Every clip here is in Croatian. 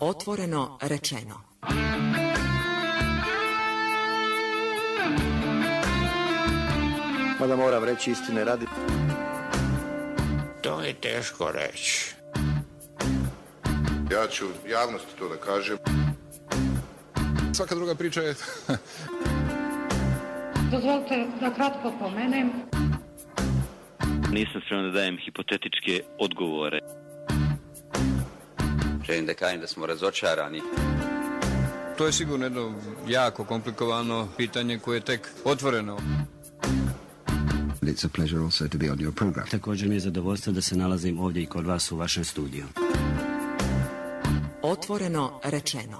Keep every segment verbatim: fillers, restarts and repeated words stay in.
Otvoreno rečeno. Mada moram reći istine radi. To je teško reći. Ja ću javnosti to da kažem. Svaka druga priča je... Dozvolite da kratko pomenem. Nisam spreman da dajem hipotetičke odgovore. Želim da kažem da smo razočarani. To je sigurno jedno jako komplikovano pitanje koje je tek otvoreno. It's a pleasure also to be on your program. Također mi je zadovoljstvo da se nalazim ovdje i kod vas u vašem studiju. Otvoreno rečeno.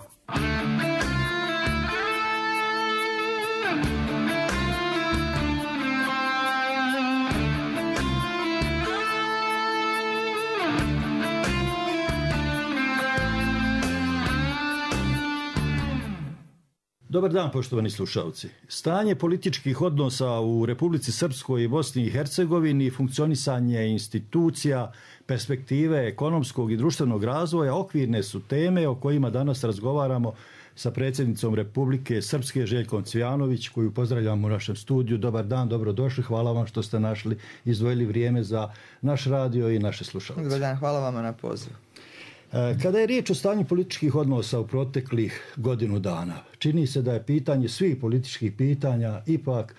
Dobar dan, poštovani slušalci. Stanje političkih odnosa u Republici Srpskoj i Bosni i Hercegovini, funkcionisanje institucija, perspektive ekonomskog i društvenog razvoja okvirne su teme o kojima danas razgovaramo sa predsjednicom Republike Srpske Željkom Cvijanović, koju pozdravljamo u našem studiju. Dobar dan, dobrodošli. Hvala vam što ste našli, izdvojili vrijeme za naš radio i naše slušalce. Dobar dan, hvala vam na pozivu. Kada je riječ o stanju političkih odnosa u proteklih godinu dana, čini se da je pitanje svih političkih pitanja ipak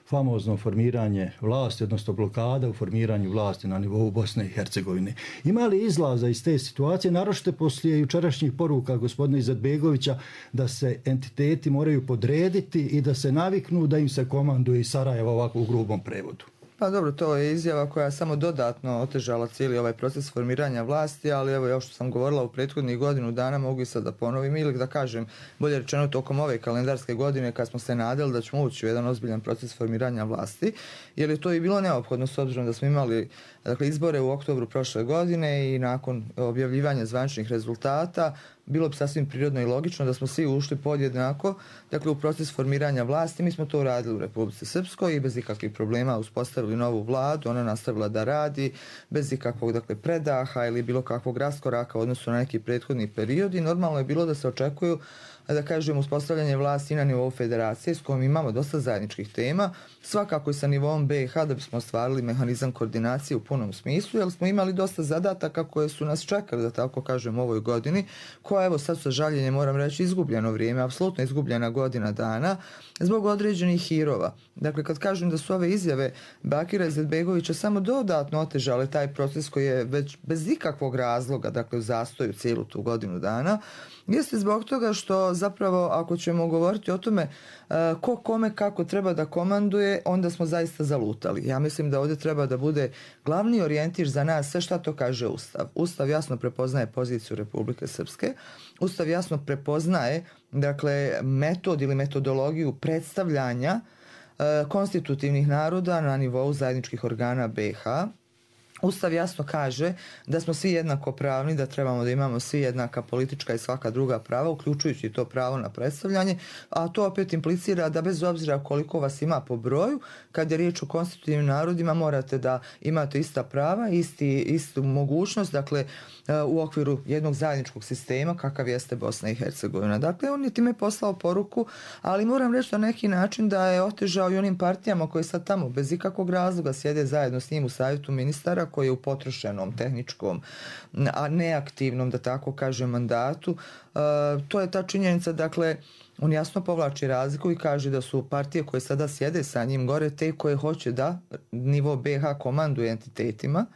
famozno formiranje vlasti, odnosno blokada u formiranju vlasti na nivou Bosne i Hercegovine. Ima li izlaza iz te situacije, naročito poslije jučerašnjih poruka gospodina Izetbegovića da se entiteti moraju podrediti i da se naviknu da im se komanduje iz Sarajeva, ovako u grubom prevodu? Pa dobro, to je izjava koja je samo dodatno otežala cijeli ovaj proces formiranja vlasti, ali evo, ja što sam govorila u prethodnih godinu dana, mogu i sad da ponovim ili da kažem, bolje rečeno tokom ove kalendarske godine kad smo se nadali da ćemo ući u jedan ozbiljan proces formiranja vlasti, jer je to i bilo neophodno s obzirom da smo imali dakle, izbore u oktobru prošle godine i nakon objavljivanja zvaničnih rezultata bilo bi sasvim prirodno i logično da smo svi ušli podjednako dakle, u proces formiranja vlasti. Mi smo to uradili u Republici Srpskoj i bez ikakvih problema uspostavili novu vladu, ona nastavila da radi bez ikakvog dakle, predaha ili bilo kakvog raskoraka u odnosu na neki prethodni period i normalno je bilo da se očekuju da kažem uspostavljanje vlasti na nivou federacije s kojom imamo dosta zajedničkih tema, svakako i sa nivoom B i H da bismo ostvarili mehanizam koordinacije u punom smislu, jer smo imali dosta zadataka koje su nas čekali, da tako kažem, u ovoj godini, koja evo sad sa žaljenjem moram reći izgubljeno vrijeme, apsolutno izgubljena godina dana, zbog određenih hirova. Dakle, kad kažem da su ove izjave Bakira Izetbegovića samo dodatno otežale taj proces koji je već bez ikakvog razloga, dakle u zastoju cijelu tu godinu dana, jeste zbog toga što zapravo ako ćemo govoriti o tome uh, ko kome kako treba da komanduje, onda smo zaista zalutali. Ja mislim da ovdje treba da bude glavni orijentir za nas sve šta to kaže Ustav. Ustav jasno prepoznaje poziciju Republike Srpske, Ustav jasno prepoznaje dakle metod ili metodologiju predstavljanja uh, konstitutivnih naroda na nivou zajedničkih organa B i H. Ustav jasno kaže da smo svi jednako pravni, da trebamo da imamo svi jednaka politička i svaka druga prava, uključujući to pravo na predstavljanje, a to opet implicira da bez obzira koliko vas ima po broju, kad je riječ o konstitutivnim narodima, morate da imate ista prava, isti, istu mogućnost, dakle, u okviru jednog zajedničkog sistema kakav jeste Bosna i Hercegovina. Dakle, on je time poslao poruku, ali moram reći na neki način da je otežao i onim partijama koje sad tamo bez ikakvog razloga sjede zajedno s njim u savjetu ministara, koji je u potrošenom, tehničkom, a neaktivnom, da tako kažem, mandatu. E, to je ta činjenica, dakle, on jasno povlači razliku i kaže da su partije koje sada sjede sa njim gore te koje hoće da nivo B i H komanduje entitetima,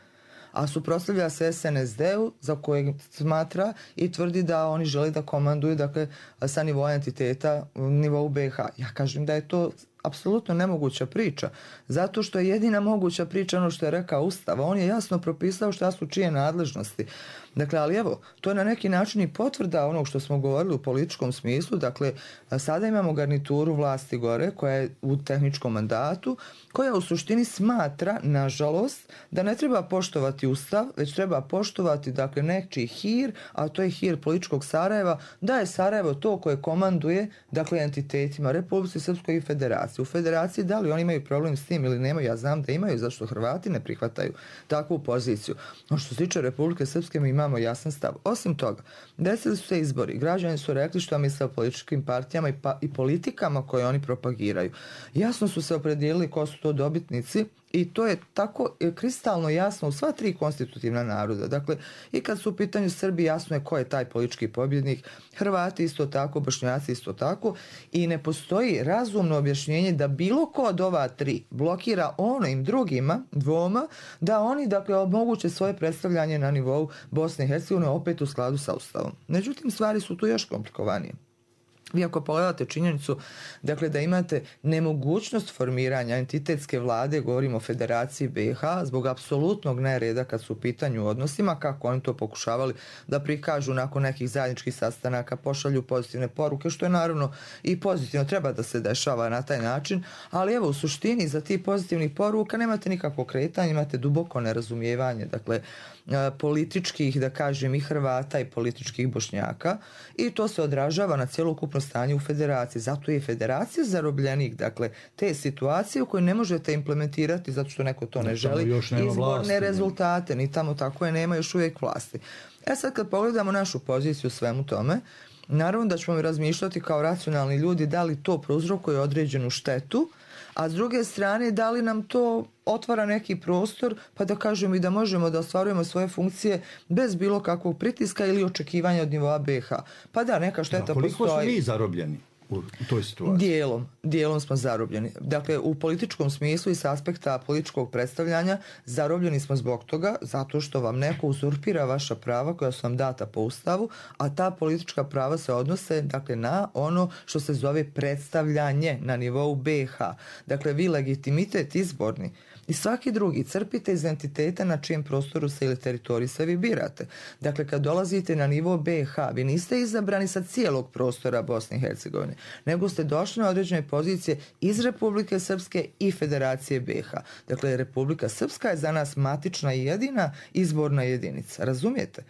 a suprotstavlja se S N S D-u za kojeg smatra i tvrdi da oni žele da komanduju dakle, sa nivoa entiteta u nivou B i H. Ja kažem da je to apsolutno nemoguća priča, zato što je jedina moguća priča ono što je rekao Ustav. On je jasno propisao šta su čije nadležnosti. Dakle, ali evo, to je na neki način i potvrda onog što smo govorili u političkom smislu. Dakle, sada imamo garnituru vlasti gore koja je u tehničkom mandatu, koja u suštini smatra, nažalost, da ne treba poštovati Ustav, već treba poštovati dakle, nečiji hir, a to je hir političkog Sarajeva, da je Sarajevo to koje komanduje dakle, entitetima Republike Srpskoj i Federacije. federaciji. U federaciji da li oni imaju problem s tim ili nemaju, ja znam da imaju, zašto Hrvati ne prihvataju takvu poziciju. No što se tiče Republike Srpske mi imamo jasan stav. Osim toga, desili su se izbori, građani su rekli što misle o političkim partijama i, pa, i politikama koje oni propagiraju. Jasno su se opredijelili ko su to dobitnici i to je tako kristalno jasno u sva tri konstitutivna naroda. Dakle, i kad su u pitanju Srbi, jasno je ko je taj politički pobjednik, Hrvati isto tako, Bošnjaci isto tako, i ne postoji razumno objašnjenje da bilo ko od ova tri blokira onim drugima, dvoma, da oni dakle omoguće svoje predstavljanje na nivou Bosne i Hercegovine opet u skladu sa Ustavom. Međutim, stvari su tu još komplikovanije. Vi ako pogledate činjenicu, dakle da imate nemogućnost formiranja entitetske vlade, govorimo o Federaciji B i H, zbog apsolutnog nereda kad su u pitanju odnosima, kako oni to pokušavali da prikažu nakon nekih zajedničkih sastanaka, pošalju pozitivne poruke, što je naravno i pozitivno, treba da se dešava na taj način, ali evo u suštini za tih pozitivnih poruka nemate nikakvo kretanje, imate duboko nerazumijevanje, dakle političkih, da kažem, i Hrvata i političkih Bošnjaka, i to se odražava na cjelokupno stanje u federaciji. Zato je federacija zarobljenik, dakle, te situacije u koje ne možete implementirati zato što neko to ne želi, izborne vlasti, rezultate, ni tamo tako je, nema još uvijek vlasti. E sad kad pogledamo našu poziciju u svemu tome, naravno da ćemo razmišljati kao racionalni ljudi da li to prouzrokuje određenu štetu, a s druge strane da li nam to otvara neki prostor pa da kažemo i da možemo da ostvarujemo svoje funkcije bez bilo kakvog pritiska ili očekivanja od nivoa B i H. Pa da, neka šteta da, koliko postoji. Koliko smo mi zarobljeni u toj situaciji? Dijelom, dijelom smo zarobljeni. Dakle, u političkom smislu i s aspekta političkog predstavljanja zarobljeni smo zbog toga, zato što vam neko uzurpira vaša prava koja su vam data po Ustavu, a ta politička prava se odnose, dakle, na ono što se zove predstavljanje na nivou B i H. Dakle, vi legitimitet izborni i svaki drugi crpite iz entiteta na čijem prostoru se ili teritoriji se vi birate. Dakle, kad dolazite na nivo B i H, vi niste izabrani sa cijelog prostora Bosne i Hercegovine, nego ste došli na određene pozicije iz Republike Srpske i Federacije B i H. Dakle, Republika Srpska je za nas matična i jedina izborna jedinica. Razumijete?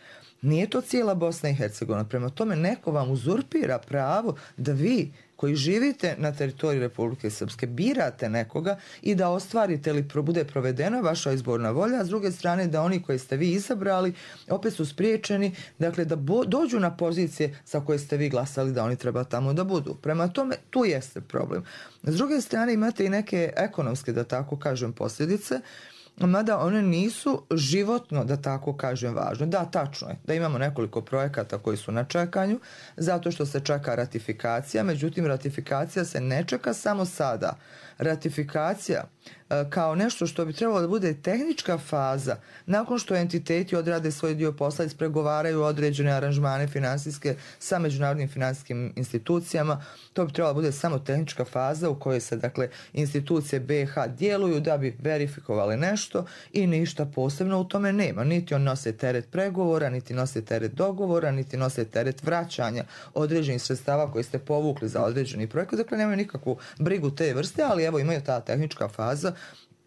Nije to cijela Bosna i Hercegovina. Prema tome, neko vam uzurpira pravo da vi koji živite na teritoriji Republike Srpske birate nekoga i da ostvarite ili bude provedena vaša izborna volja, a s druge strane da oni koji ste vi izabrali opet su spriječeni, dakle da bo, dođu na pozicije za koje ste vi glasali da oni treba tamo da budu. Prema tome, tu jeste problem. S druge strane imate i neke ekonomske, da tako kažem, posljedice, mada one nisu životno, da tako kažem, važno. Da, tačno je da imamo nekoliko projekata koji su na čekanju, zato što se čeka ratifikacija, međutim ratifikacija se ne čeka samo sada. Ratifikacija kao nešto što bi trebalo da bude tehnička faza, nakon što entiteti odrade svoj dio posla, ispregovaraju određene aranžmane finansijske sa međunarodnim finansijskim institucijama, to bi trebalo da bude samo tehnička faza u kojoj se, dakle, institucije B i H djeluju da bi verifikovali nešto i ništa posebno u tome nema. Niti on nose teret pregovora, niti nose teret dogovora, niti nose teret vraćanja određenih sredstava koje ste povukli za određeni projekat. Dakle, nemaju nikakvu brigu te vrste, ali evo imaju ta tehnička faza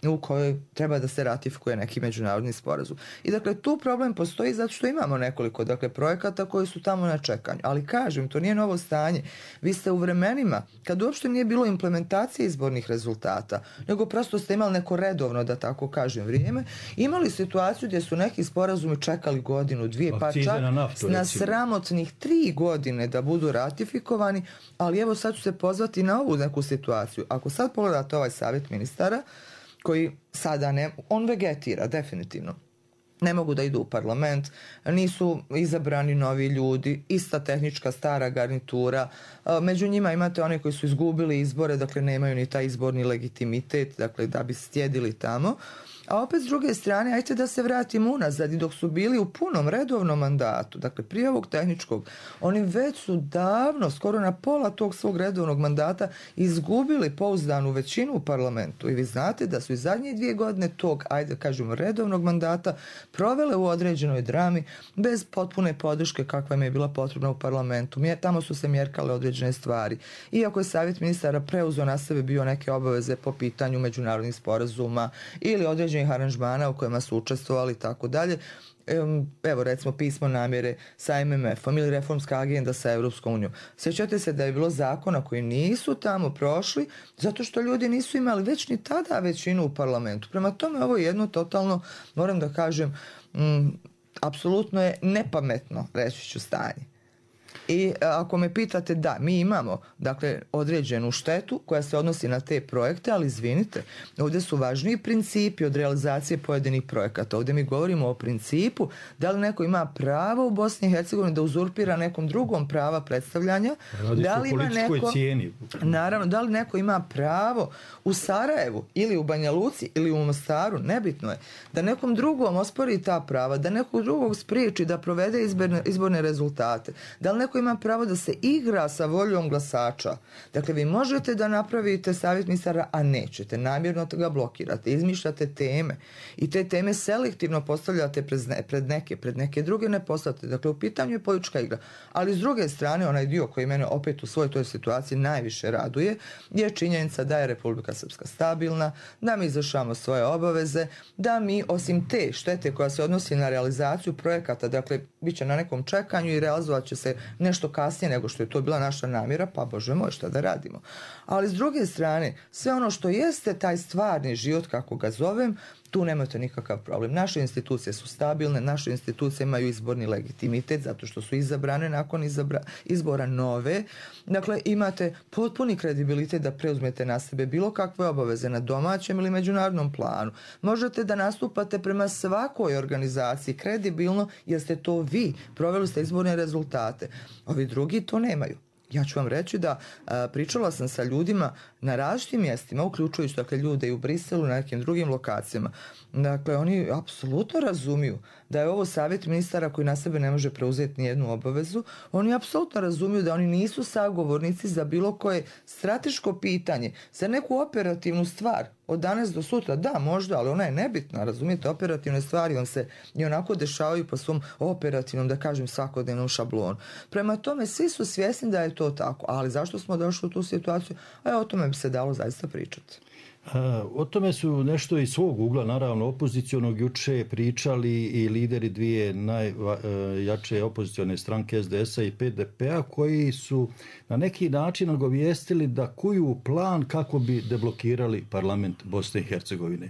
u kojoj treba da se ratifikuje neki međunarodni sporazum. I dakle, tu problem postoji zato što imamo nekoliko, dakle, projekata koji su tamo na čekanju. Ali kažem, to nije novo stanje. Vi ste u vremenima, kad uopšte nije bilo implementacije izbornih rezultata, nego prosto ste imali neko redovno, da tako kažem, vrijeme, imali situaciju gdje su neki sporazumi čekali godinu, dvije, pa čak na, naftu, na sramotnih tri godine da budu ratifikovani, ali evo sad ću se pozvati na ovu neku situaciju. Ako sad pogledate ovaj savjet ministara, koji sada ne, on vegetira definitivno. Ne mogu da idu u parlament, nisu izabrani novi ljudi, ista tehnička stara garnitura, među njima imate one koji su izgubili izbore, dakle nemaju ni taj izborni legitimitet, dakle da bi sjedili tamo. A opet s druge strane, ajte da se vratimo unazad, i dok su bili u punom redovnom mandatu, dakle prije ovog tehničkog, oni već su davno, skoro na pola tog svog redovnog mandata, izgubili pouzdanu većinu u parlamentu. I vi znate da su i zadnje dvije godine tog, ajde kažemo, redovnog mandata provele u određenoj drami bez potpune podrške kakva im je bila potrebna u parlamentu. Tamo su se mjerkale određene stvari. Iako je savjet ministara preuzeo na sebe bio neke obaveze po pitanju međunarodnih sporazuma ili određenih aranžmana u kojima su učestvovali i tako dalje, evo recimo pismo namjere sa M M F-om ili reformska agenda sa Europskom unijom. Sjećate se da je bilo zakona koji nisu tamo prošli zato što ljudi nisu imali već ni tada većinu u parlamentu. Prema tome ovo je jedno totalno, moram da kažem, mm, apsolutno je nepametno, reći ću, stanje. I ako me pitate, da, mi imamo dakle određenu štetu koja se odnosi na te projekte, ali izvinite, ovdje su važniji principi od realizacije pojedinih projekata. Ovdje mi govorimo o principu da li neko ima pravo u Bosni i Hercegovini da uzurpira nekom drugom prava predstavljanja, da li ima neko, cijeni. Naravno, da li neko ima pravo u Sarajevu ili u Banja Luci ili u Mostaru, nebitno je, da nekom drugom ospori ta prava, da nekog drugog spriječi da provede izborne, izborne rezultate, da li neko ima pravo da se igra sa voljom glasača. Dakle, vi možete da napravite savjet ministara, a nećete. Namjerno ga blokirate, izmišljate teme i te teme selektivno postavljate pred neke, pred neke druge ne postavljate. Dakle, u pitanju je politička igra. Ali s druge strane, onaj dio koji mene opet u svojoj toj situaciji najviše raduje je činjenica da je Republika Srpska stabilna, da mi izvršavamo svoje obaveze, da mi osim te štete koja se odnosi na realizaciju projekata, dakle, bit će na nekom čekanju i realizovat će se nešto kasnije nego što je to bila naša namjera, pa Bože moj, šta da radimo. Ali s druge strane, sve ono što jeste taj stvarni život, kako ga zovem, tu nemate nikakav problem. Naše institucije su stabilne, naše institucije imaju izborni legitimitet zato što su izabrane nakon izabra, izbora nove. Dakle, imate potpuni kredibilitet da preuzmete na sebe bilo kakve obaveze na domaćem ili međunarodnom planu. Možete da nastupate prema svakoj organizaciji kredibilno jer ste to vi, proveli ste izborne rezultate. Ovi drugi to nemaju. Ja ću vam reći da a, pričala sam sa ljudima na različitim mjestima, uključujući dakle, ljude i u Briselu, na nekim drugim lokacijama. Dakle, oni apsolutno razumiju da je ovo savjet ministara koji na sebe ne može preuzeti nijednu obavezu. Oni apsolutno razumiju da oni nisu sagovornici za bilo koje strateško pitanje, za neku operativnu stvar od danas do sutra. Da, možda, ali ona je nebitna. Razumijete, operativne stvari on se i onako dešavaju po svom operativnom, da kažem, svakodnevnom šablonu. Prema tome, svi su svjesni da je to tako. Ali zašto smo došli u tu situaciju? A o tome bi se dalo zaista pričati. O tome su nešto iz svog ugla, naravno, opozicionog juče pričali i lideri dvije najjače opozicione stranke S D S-a i P D P-a koji su na neki način nagovijestili da kuju plan kako bi deblokirali parlament Bosne i Hercegovine.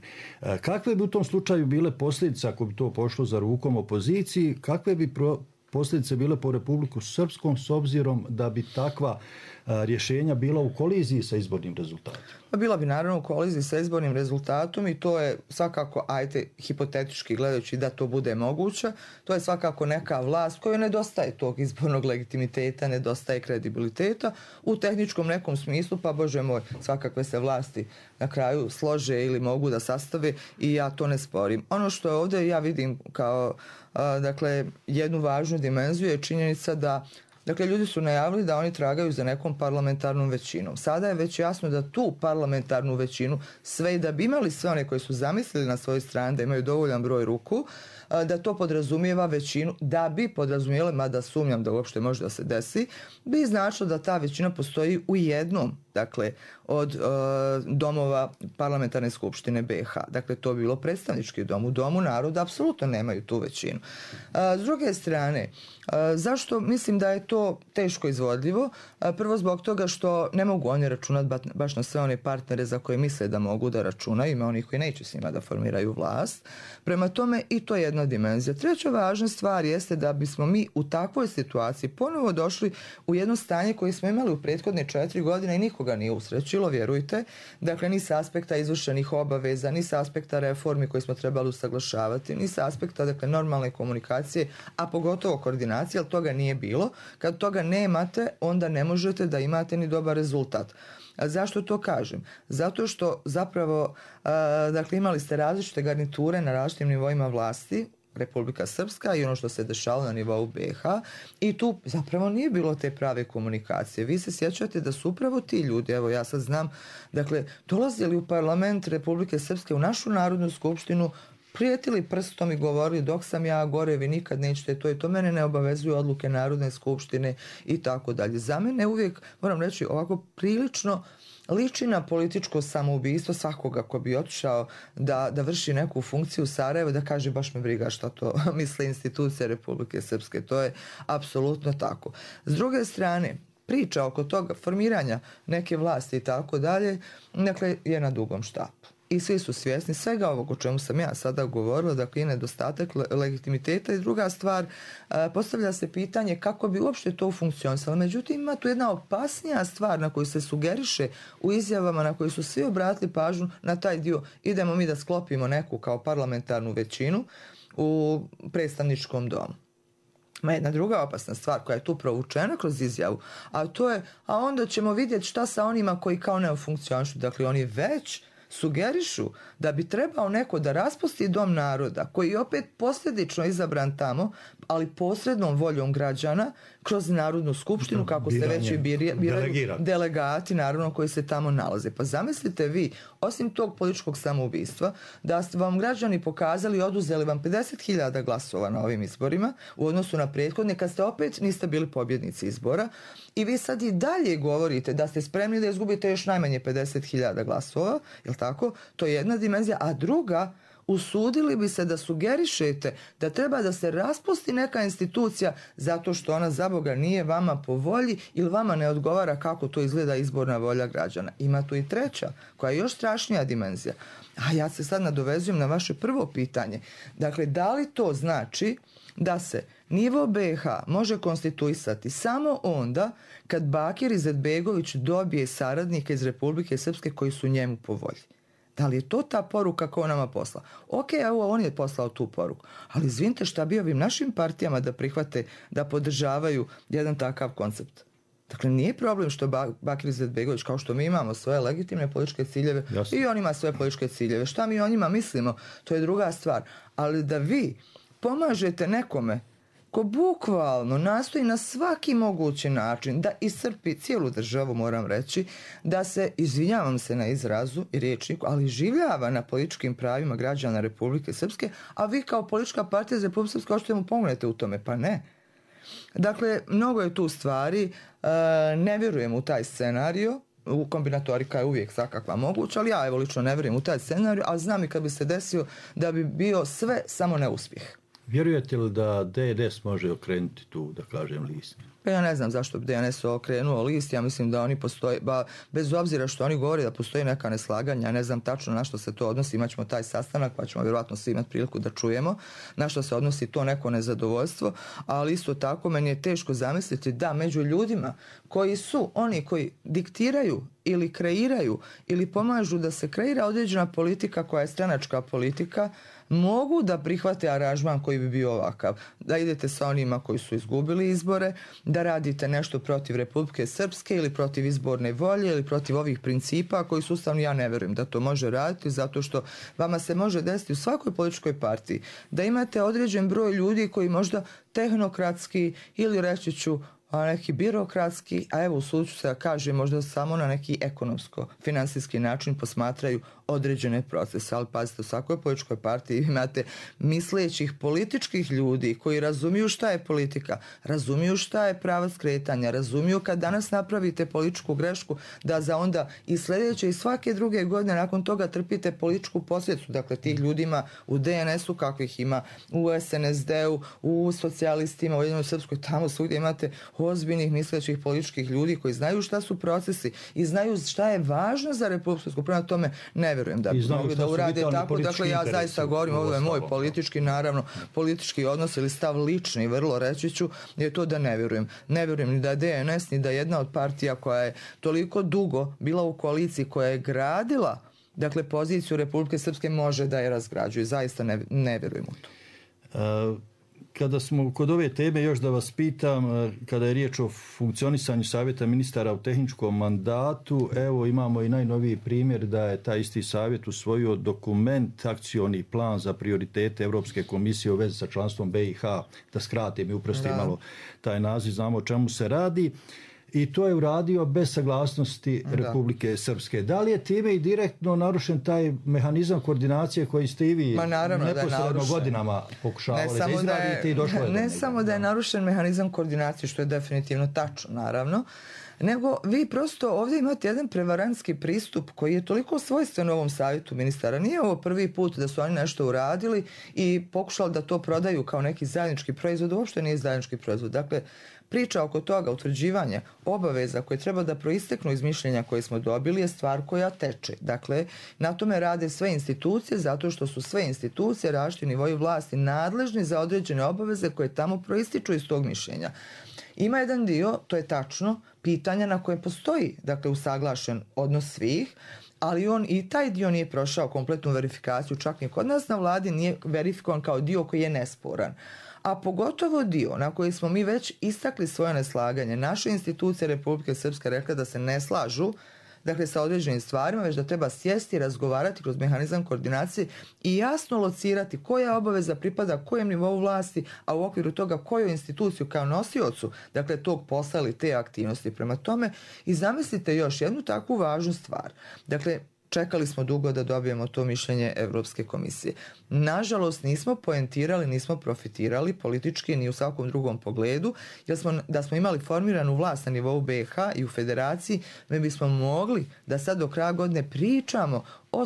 Kakve bi u tom slučaju bile posljedice ako bi to pošlo za rukom opoziciji? Kakve bi pro posljedice bile po Republiku Srpskom s obzirom da bi takva rješenja bila u koliziji sa izbornim rezultatom? Bila bi naravno u koliziji sa izbornim rezultatom i to je svakako, ajte, hipotetički gledajući da to bude moguće, to je svakako neka vlast kojoj nedostaje tog izbornog legitimiteta, nedostaje kredibiliteta u tehničkom nekom smislu, pa Bože moj, svakakve se vlasti na kraju slože ili mogu da sastave i ja to ne sporim. Ono što je ovdje ja vidim kao a, dakle, jednu važnu dimenziju je činjenica da dakle, ljudi su najavili da oni tragaju za nekom parlamentarnom većinom. Sada je već jasno da tu parlamentarnu većinu, sve i da bi imali sve one koji su zamislili na svojoj strani da imaju dovoljan broj ruku, da to podrazumijeva većinu, da bi podrazumijeli, mada sumnjam da uopšte može da se desi, bi značilo da ta većina postoji u jednom, dakle, od uh, domova parlamentarne skupštine B iH. Dakle, to bi bilo predstavnički dom. U domu naroda apsolutno nemaju tu većinu. Uh, s druge strane, uh, zašto mislim da je to teško izvodljivo? Uh, prvo zbog toga što ne mogu oni računati ba, baš na sve one partnere za koje misle da mogu da računaju. Ima onih koji neće s njima da formiraju vlast. Prema tome, i to je jedna dimenzija. Treća važna stvar jeste da bismo mi u takvoj situaciji ponovo došli u jedno stanje koje smo imali u prethodne četiri godine i nikoga nije usrećilo, vjerujte. Dakle, ni sa aspekta izvršenih obaveza, ni sa aspekta reformi koje smo trebali usaglašavati, ni sa aspekta, dakle, normalne komunikacije, a pogotovo koordinacije, ali toga nije bilo. Kad toga nemate, onda ne možete da imate ni dobar rezultat. A zašto to kažem? Zato što zapravo, a, dakle, imali ste različite garniture na različitim nivoima vlasti, Republika Srpska i ono što se dešalo na nivou B iH i tu zapravo nije bilo te prave komunikacije. Vi se sjećate da su upravo ti ljudi, evo ja sad znam, dakle, dolazili u parlament Republike Srpske, u našu Narodnu skupštinu prijetili prstom i govorili dok sam ja gore, vi nikad nećete to i to, mene ne obavezuju odluke Narodne skupštine i tako dalje. Za mene uvijek, moram reći, ovako prilično liči na političko samoubistvo svakoga ko bi otišao da, da vrši neku funkciju u Sarajevu, da kaže baš me briga šta to misle institucije Republike Srpske. To je apsolutno tako. S druge strane, priča oko toga formiranja neke vlasti i tako dalje, dakle, je na dugom štapu. I svi su svjesni svega ovog o čemu sam ja sada govorila, dakle i nedostatak le- legitimiteta i druga stvar, a, postavlja se pitanje kako bi uopšte to funkcionisalo. Međutim, ima tu jedna opasnija stvar na koju se sugeriše u izjavama na koju su svi obratili pažnju na taj dio. Idemo mi da sklopimo neku kao parlamentarnu većinu u predstavničkom domu. Ma jedna druga opasna stvar koja je tu provučena kroz izjavu, a to je, a onda ćemo vidjeti šta sa onima koji kao ne funkcionišu. Dakle, oni već sugerišu da bi trebao neko da raspusti Dom naroda, koji je opet posljedično izabran tamo, ali posrednom voljom građana kroz Narodnu skupštinu, kako se već i biraju delegati, naravno, koji se tamo nalaze. Pa zamislite vi, osim tog političkog samoubistva, da ste vam građani pokazali i oduzeli vam pedeset hiljada glasova na ovim izborima u odnosu na prethodne, kad ste opet niste bili pobjednici izbora, i vi sad i dalje govorite da ste spremni da izgubite još najmanje pedeset hiljada glasova, jel tako? To je jedna dimenzija, a druga, usudili bi se da sugerišete da treba da se raspusti neka institucija zato što ona za Boga nije vama po volji ili vama ne odgovara kako to izgleda izborna volja građana. Ima tu i treća, koja je još strašnija dimenzija. A ja se sad nadovezujem na vaše prvo pitanje. Dakle, da li to znači da se nivo be ha može konstituisati samo onda kad Bakir Izetbegović dobije saradnike iz Republike Srpske koji su njemu po volji? Da li je to ta poruka koju nama posla? Ok, evo, on je poslao tu poruku. Ali izvinite, šta bi ovim našim partijama da prihvate, da podržavaju jedan takav koncept? Dakle, nije problem što Bakir Izetbegović, kao što mi imamo svoje legitimne političke ciljeve, jasno, i on ima svoje političke ciljeve. Šta mi o njima mislimo, to je druga stvar. Ali da vi pomažete nekome ko bukvalno nastoji na svaki mogući način da iscrpi cijelu državu, moram reći, da se, izvinjavam se na izrazu i rječniku, ali življava na političkim pravima građana Republike Srpske, a vi kao politička partija za Republike Srpske hoćete mu pomognete u tome, pa ne. Dakle, mnogo je tu stvari, ne vjerujem u taj scenario, u kombinatorika je uvijek svakakva moguća, ali ja evo lično ne vjerujem u taj scenario, ali znam i kad bi se desio da bi bio sve samo neuspjeh. Vjerujete li da de en es može okrenuti tu, da kažem, list? Pa ja ne znam zašto bi de en es okrenuo list, ja mislim da oni postoje, ba, bez obzira što oni govore da postoji neka neslaganja, ja ne znam tačno na što se to odnosi, imat ćemo taj sastanak pa ćemo vjerojatno svi imati priliku da čujemo na što se odnosi to neko nezadovoljstvo, ali isto tako meni je teško zamisliti da među ljudima koji su oni koji diktiraju ili kreiraju ili pomažu da se kreira određena politika koja je stranačka politika, mogu da prihvate aranžman koji bi bio ovakav. Da idete sa onima koji su izgubili izbore, da radite nešto protiv Republike Srpske ili protiv izborne volje ili protiv ovih principa koji su ustavni. Ja ne vjerujem da to može raditi, zato što vama se može desiti u svakoj političkoj partiji da imate određen broj ljudi koji možda tehnokratski ili reći ću a neki birokratski, a evo usudit ću se da kažem možda samo na neki ekonomsko-finansijski način posmatraju određene procese. Ali pazite, u svakoj političkoj partiji imate mislećih političkih ljudi koji razumiju šta je politika, razumiju šta je pravac kretanja, razumiju kad danas napravite političku grešku da za onda i sljedeće i svake druge godine nakon toga trpite političku posljedicu. Dakle, tih ljudima u de en esu kakvih ima, u es en es de-u, u socijalistima, u Ujedinjenoj Srpskoj, tamo svugdje imate ozbiljnih mislećih političkih ljudi koji znaju šta su procesi i znaju šta je važno za Republiku Srpsku. Prema tome ne vjerujem da bi mogli da urade tako. Dakle, ja zaista govorim, ovo je moj politički, naravno, politički odnos ili stav lični, vrlo reći ću, je to da ne vjerujem. Ne vjerujem ni da de en es, ni da jedna od partija koja je toliko dugo bila u koaliciji, koja je gradila, dakle, poziciju Republike Srpske, može da je razgrađuje. Zaista ne, ne vjerujem u to. Uh... Kada smo kod ove teme, još da vas pitam, kada je riječ o funkcionisanju savjeta ministara u tehničkom mandatu, evo imamo i najnoviji primjer da je taj isti savjet usvojio dokument, akcioni plan za prioritete Europske komisije u vezi sa članstvom be i ha, da skratim i uprostim malo taj naziv, znamo o čemu se radi. i to je uradio bez saglasnosti Da. Republike Srpske. Da li je time i direktno narušen taj mehanizam koordinacije koji ste i vi Ma naravno da je neposredno narušen. godinama pokušavali da da je, izradite i došlo je do ne njega? samo da je narušen mehanizam koordinacije, što je definitivno tačno, naravno, nego vi prosto ovdje imate jedan prevarantski pristup koji je toliko svojstven ovom savjetu ministara. Nije ovo prvi put da su oni nešto uradili i pokušali da to prodaju kao neki zajednički proizvod, uopšte nije zajednički proizvod. Dakle, priča oko toga, utvrđivanja obaveza koje treba da proisteknu iz mišljenja koje smo dobili je stvar koja teče. Dakle, na tome rade sve institucije zato što su sve institucije različiti nivoji vlasti nadležni za određene obaveze koje tamo proističu iz tog mišljenja. Ima jedan dio, to je tačno, pitanja na koje postoji, dakle, usaglašen odnos svih, ali on i taj dio nije prošao kompletnu verifikaciju, čak ni kod nas na vladi nije verifikovan kao dio koji je nesporan. A pogotovo dio na koji smo mi već istakli svoje neslaganje. Naše institucije Republike Srpske rekla da se ne slažu, dakle, sa određenim stvarima, već da treba sjesti i razgovarati kroz mehanizam koordinacije i jasno locirati koja obaveza pripada kojem nivou vlasti, a u okviru toga koju instituciju kao nosiocu, dakle, tog posla ili te aktivnosti. Prema tome, i zamislite još jednu takvu važnu stvar. Dakle, čekali smo dugo da dobijemo to mišljenje Evropske komisije. Nažalost, nismo poentirali, nismo profitirali politički ni u svakom drugom pogledu, jer smo, da smo imali formiranu vlast na nivou B i H i u federaciji, mi bismo mogli da sad do kraja godine pričamo o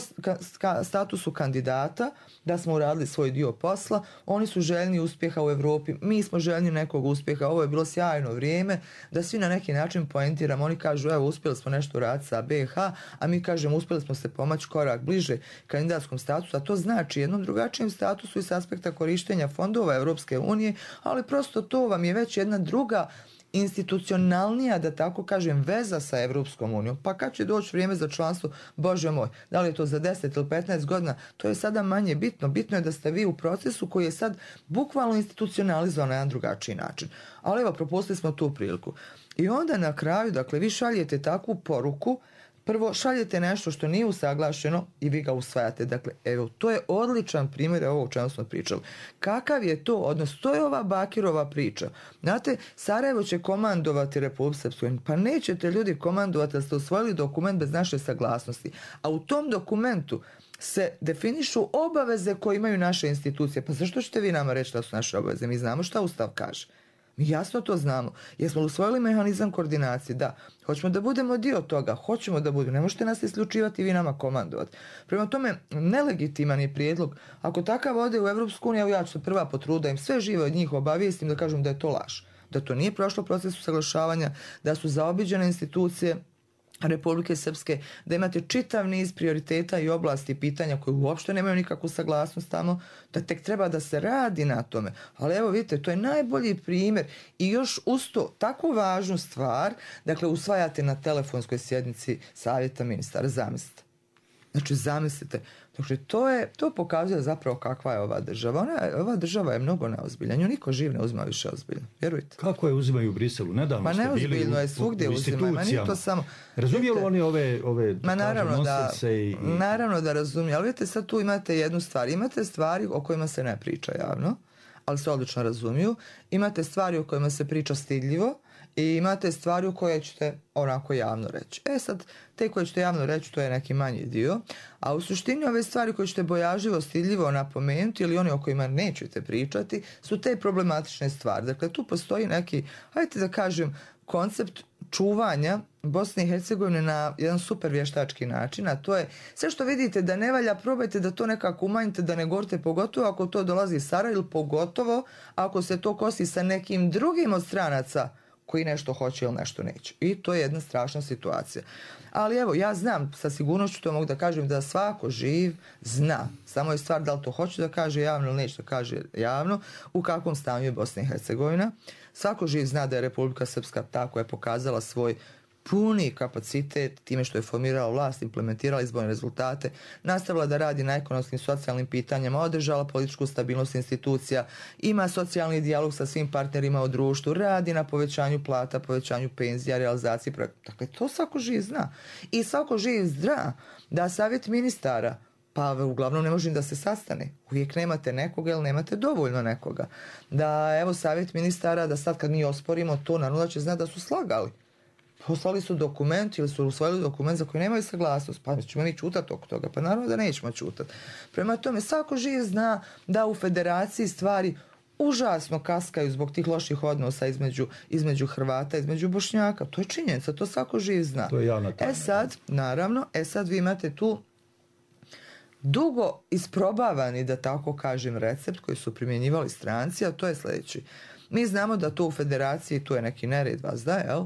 statusu kandidata, da smo uradili svoj dio posla, oni su željni uspjeha u Evropi, mi smo željni nekog uspjeha, ovo je bilo sjajno vrijeme, da svi na neki način poentiramo, oni kažu evo uspjeli smo nešto uraditi sa B i H, a mi kažemo uspjeli smo se pomaći korak bliže kandidatskom statusu, a to znači jednom drugačijem statusu i s aspekta korištenja fondova Evropske unije, ali prosto to vam je već jedna druga institucionalnija, da tako kažem, veza sa Evropskom unijom. Pa kad će doći vrijeme za članstvo, Bože moj, da li je to za deset ili petnaest godina, to je sada manje bitno. Bitno je da ste vi u procesu koji je sad bukvalno institucionalizovan na jedan drugačiji način. Ali evo, propustili smo tu priliku. I onda na kraju, dakle, vi šaljete takvu poruku. Prvo, šaljete nešto što nije usaglašeno i vi ga usvajate. Dakle, evo, to je odličan primjer ovo o čemu smo pričali. Kakav je to odnos? To je ova Bakirova priča. Znate, Sarajevo će komandovati Republiku Srpsku. Pa nećete ljudi komandovati da ste usvojili dokument bez naše saglasnosti. A u tom dokumentu se definišu obaveze koje imaju naše institucije. Pa zašto ćete vi nama reći da su naše obaveze? Mi znamo šta Ustav kaže. Mi jasno to znamo. Jesmo usvojili mehanizam koordinacije? Da. Hoćemo da budemo dio toga? Hoćemo da budemo. Ne možete nas isključivati i vi nama komandovati. Prema tome, nelegitiman je prijedlog. Ako takav ode u Evropsku uniju, ja ću se prva potruda im sve živo od njih obavijestim da kažem da je to laž. Da to nije prošlo proces usaglašavanja, da su zaobiđene institucije Republike Srpske, da imate čitav niz prioriteta i oblasti i pitanja koje uopšte nemaju nikakvu saglasnost tamo, da tek treba da se radi na tome. Ali evo vidite, to je najbolji primjer i još uz to, takvu važnu stvar, dakle, usvajate na telefonskoj sjednici savjeta ministara, zamislite. Znači, zamislite. Dakle, to, je, to pokazuje zapravo kakva je ova država. Ona, ova država je mnogo neozbiljna. Nju niko živ ne uzima više ozbiljno. Vjerujte. Kako je uzimaju u Briselu? Nedavno Ma ste bili neozbiljno u, je svugdje u uzimaju. Ma nije to samo... Razumiju li oni ove, ove Ma naravno da, i, i... naravno da razumiju. Ali vidite, sad tu imate jednu stvar. Imate stvari o kojima se ne priča javno, ali se odlično razumiju. Imate stvari o kojima se priča stidljivo, i imate stvari u koje ćete onako javno reći. E sad, te koje ćete javno reći, to je neki manji dio, a u suštini ove stvari koje ćete bojažljivo, stidljivo napomenuti ili oni o kojima nećete pričati, su te problematične stvari. Dakle, tu postoji neki, hajde da kažem, koncept čuvanja Bosne i Hercegovine na jedan super vještački način, a to je sve što vidite da ne valja, probajte da to nekako umanjite, da ne govorite, pogotovo ako to dolazi iz Sarajeva ili pogotovo ako se to kosi sa nekim drugim od stranaca koji nešto hoće ili nešto neće. I to je jedna strašna situacija. Ali evo, ja znam, sa sigurnošću to mogu da kažem, da svako živ zna. Samo je stvar da li to hoće da kaže javno ili neće da kaže javno, u kakvom stanju je Bosna i Hercegovina. Svako živ zna da je Republika Srpska ta koja je pokazala svoj puni kapacitet time što je formirala vlast, implementirala izborne rezultate, nastavila da radi na ekonomskim socijalnim pitanjima, održala političku stabilnost institucija, ima socijalni dijalog sa svim partnerima u društvu, radi na povećanju plata, povećanju penzija, realizaciji projekta. Dakle, to svako živ zna. I svako živ zna da savjet ministara, pa uglavnom ne može da se sastane. Uvijek nemate nekoga ili nemate dovoljno nekoga. Da, evo, savjet ministara, da sad kad mi osporimo to, naravno da će znati da su slagali. poslali su dokument ili su usvojili dokument za koji nemaju saglasnost, pa ćemo mi čutati oko toga, pa naravno da nećemo čutati. Prema tome, svako živ zna da u federaciji stvari užasno kaskaju zbog tih loših odnosa između, između Hrvata, između Bošnjaka. To je činjenica, to svako živ zna. To je javna tajna. E sad, naravno, e sad vi imate tu dugo isprobavani, da tako kažem, recept koji su primjenjivali stranci, a to je sljedeći. Mi znamo da to u federaciji, tu je neki nered vas da, jel?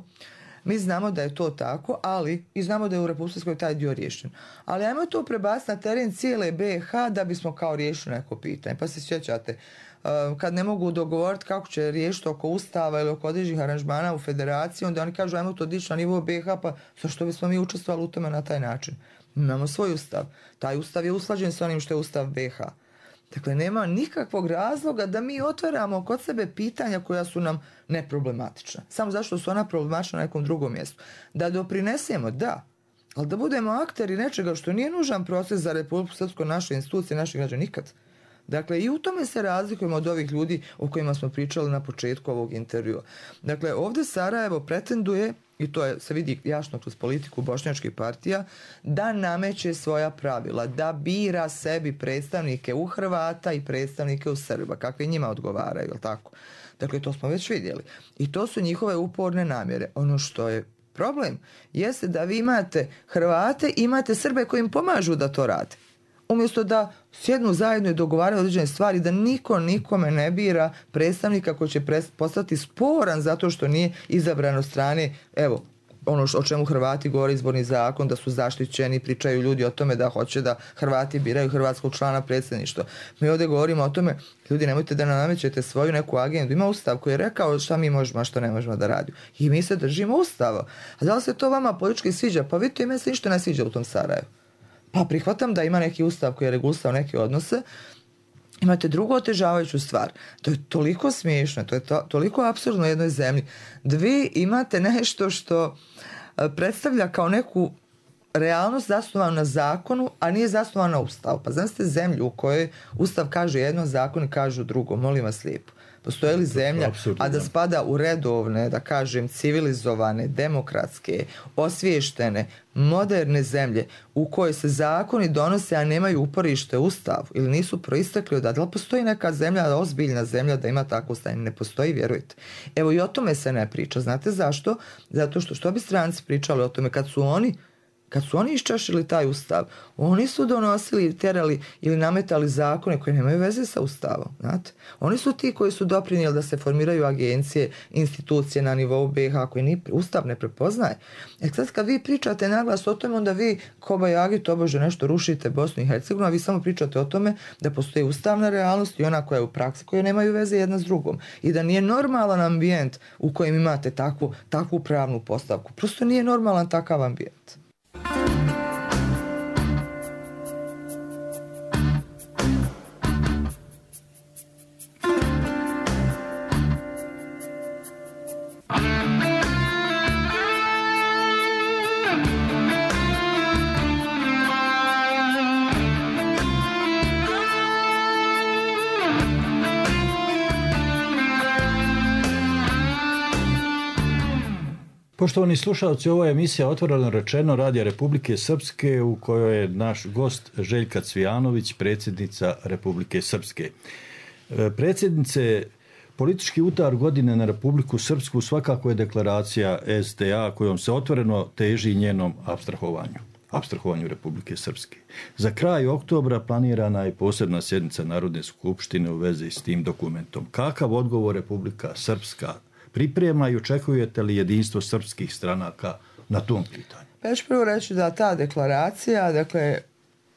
Mi znamo da je to tako, ali i znamo da je u Republike taj dio riješen. Ali ajmo to prebaciti na teren cijele B i H da bismo kao riješili neko pitanje. Pa se sjećate, kad ne mogu dogovoriti kako će riješiti oko ustava ili oko određenih aranžmana u federaciji, onda oni kažu ajmo to dići na nivo B i H, pa zašto bismo mi učestvovali u tome na taj način? Imamo svoj ustav. Taj ustav je usklađen s onim što je ustav B i H. Dakle, nema nikakvog razloga da mi otvaramo kod sebe pitanja koja su nam neproblematična. Samo zašto su ona problematična na nekom drugom mjestu. Da doprinesemo, da, ali da budemo akteri nečega što nije nužan proces za Republiku Srpsku, naše institucije, naših građana, nikad. Dakle, i u tome se razlikujemo od ovih ljudi o kojima smo pričali na početku ovog intervjua. Dakle, ovdje Sarajevo pretenduje, i to je, se vidi jasno kroz politiku bošnjačkih partija, da nameće svoja pravila, da bira sebi predstavnike u Hrvata i predstavnike u Srba, kakve njima odgovaraju, jel tako? Dakle, to smo već vidjeli. I to su njihove uporne namjere. Ono što je problem jeste da vi imate Hrvate, imate Srbe koji im pomažu da to rade. Umjesto da sjednu zajedno i dogovaraju određene stvari, da niko nikome ne bira predstavnika koji će postati sporan zato što nije izabran od strane, evo, ono o čemu Hrvati govore, izborni zakon, da su zaštićeni, pričaju ljudi o tome da hoće da Hrvati biraju hrvatskog člana predsjedništva. Mi ovdje govorimo o tome, ljudi, nemojte da nam namećete svoju neku agendu. Ima ustav koji je rekao šta mi možemo, a što ne možemo da radimo. I mi se držimo ustava. A da li se to vama politički sviđa? Pa vidite, ime se ništa ne sviđa u tom Sarajevu. Pa prihvatam da ima neki ustav koji je regulisao neke odnose. Imate drugu otežavajuću stvar. To je toliko smiješno, to je to, toliko apsurdno u jednoj zemlji. Vi imate nešto što predstavlja kao neku realnost zasnovanu na zakonu, a nije zasnovanu na ustavu. Pa znam ste zemlju u kojoj ustav kaže jedno, zakoni kažu drugo. Molim vas lijepo. Postoji li zemlja, a da spada u redovne, da kažem, civilizovane, demokratske, osviještene, moderne zemlje u kojoj se zakoni donose, a nemaju uporište u ustavu ili nisu proistekli od... Da li postoji neka zemlja, ozbiljna zemlja da ima takvo stanje? Ne postoji, vjerujte. Evo i o tome se ne priča. Znate zašto? Zato što što bi stranci pričali o tome kad su oni Kad su oni iščašili taj ustav, oni su donosili, terali ili nametali zakone koje nemaju veze sa ustavom. Znate? Oni su ti koji su doprinijeli da se formiraju agencije, institucije na nivou B i H koje ni ustav ne prepoznaje. E sad kad vi pričate naglas o tome, onda vi kobajagi tobože nešto rušite Bosnu i Hercegovinu, a vi samo pričate o tome da postoji ustavna realnost i ona koja je u praksi, koje nemaju veze jedna s drugom. I da nije normalan ambijent u kojem imate takvu, takvu pravnu postavku. Prosto nije normalan takav ambijent. Poštovani slušalci, ovo je emisija Otvoreno rečeno Radija Republike Srpske u kojoj je naš gost Željka Cvijanović, predsjednica Republike Srpske. Predsjednice, politički udar godine na Republiku Srpsku svakako je deklaracija S D A kojom se otvoreno teži njenom apstrahovanju. apstrahovanju Republike Srpske. Za kraj oktobra planirana je posebna sjednica Narodne skupštine u vezi s tim dokumentom. Kakav odgovor Republika Srpska priprema i očekujete li jedinstvo srpskih stranaka na tom pitanju? Pa ja ću prvo reći da ta deklaracija, dakle,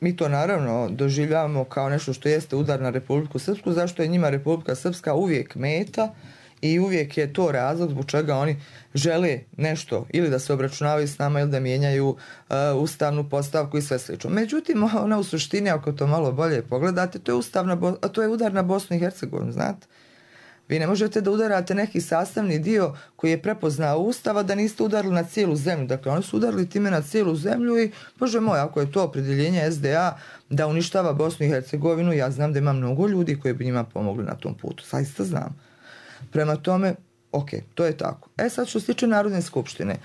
mi to naravno doživljavamo kao nešto što jeste udar na Republiku Srpsku, zašto je njima Republika Srpska uvijek meta i uvijek je to razlog zbog čega oni žele nešto ili da se obračunavaju s nama ili da mijenjaju uh, ustavnu postavku i sve slično. Međutim, ona u suštini, ako to malo bolje pogledate, to je, ustavna, to je udar na Bosnu i Hercegovinu, znate? Vi ne možete da udarate neki sastavni dio koji je prepoznao Ustava da niste udarili na cijelu zemlju. Dakle, oni su udarili time na cijelu zemlju i, Bože moj, ako je to opredjeljenje S D A da uništava Bosnu i Hercegovinu, ja znam da ima mnogo ljudi koji bi njima pomogli na tom putu. Zaista znam. Prema tome, ok, to je tako. E sad što se tiče Narodne skupštine.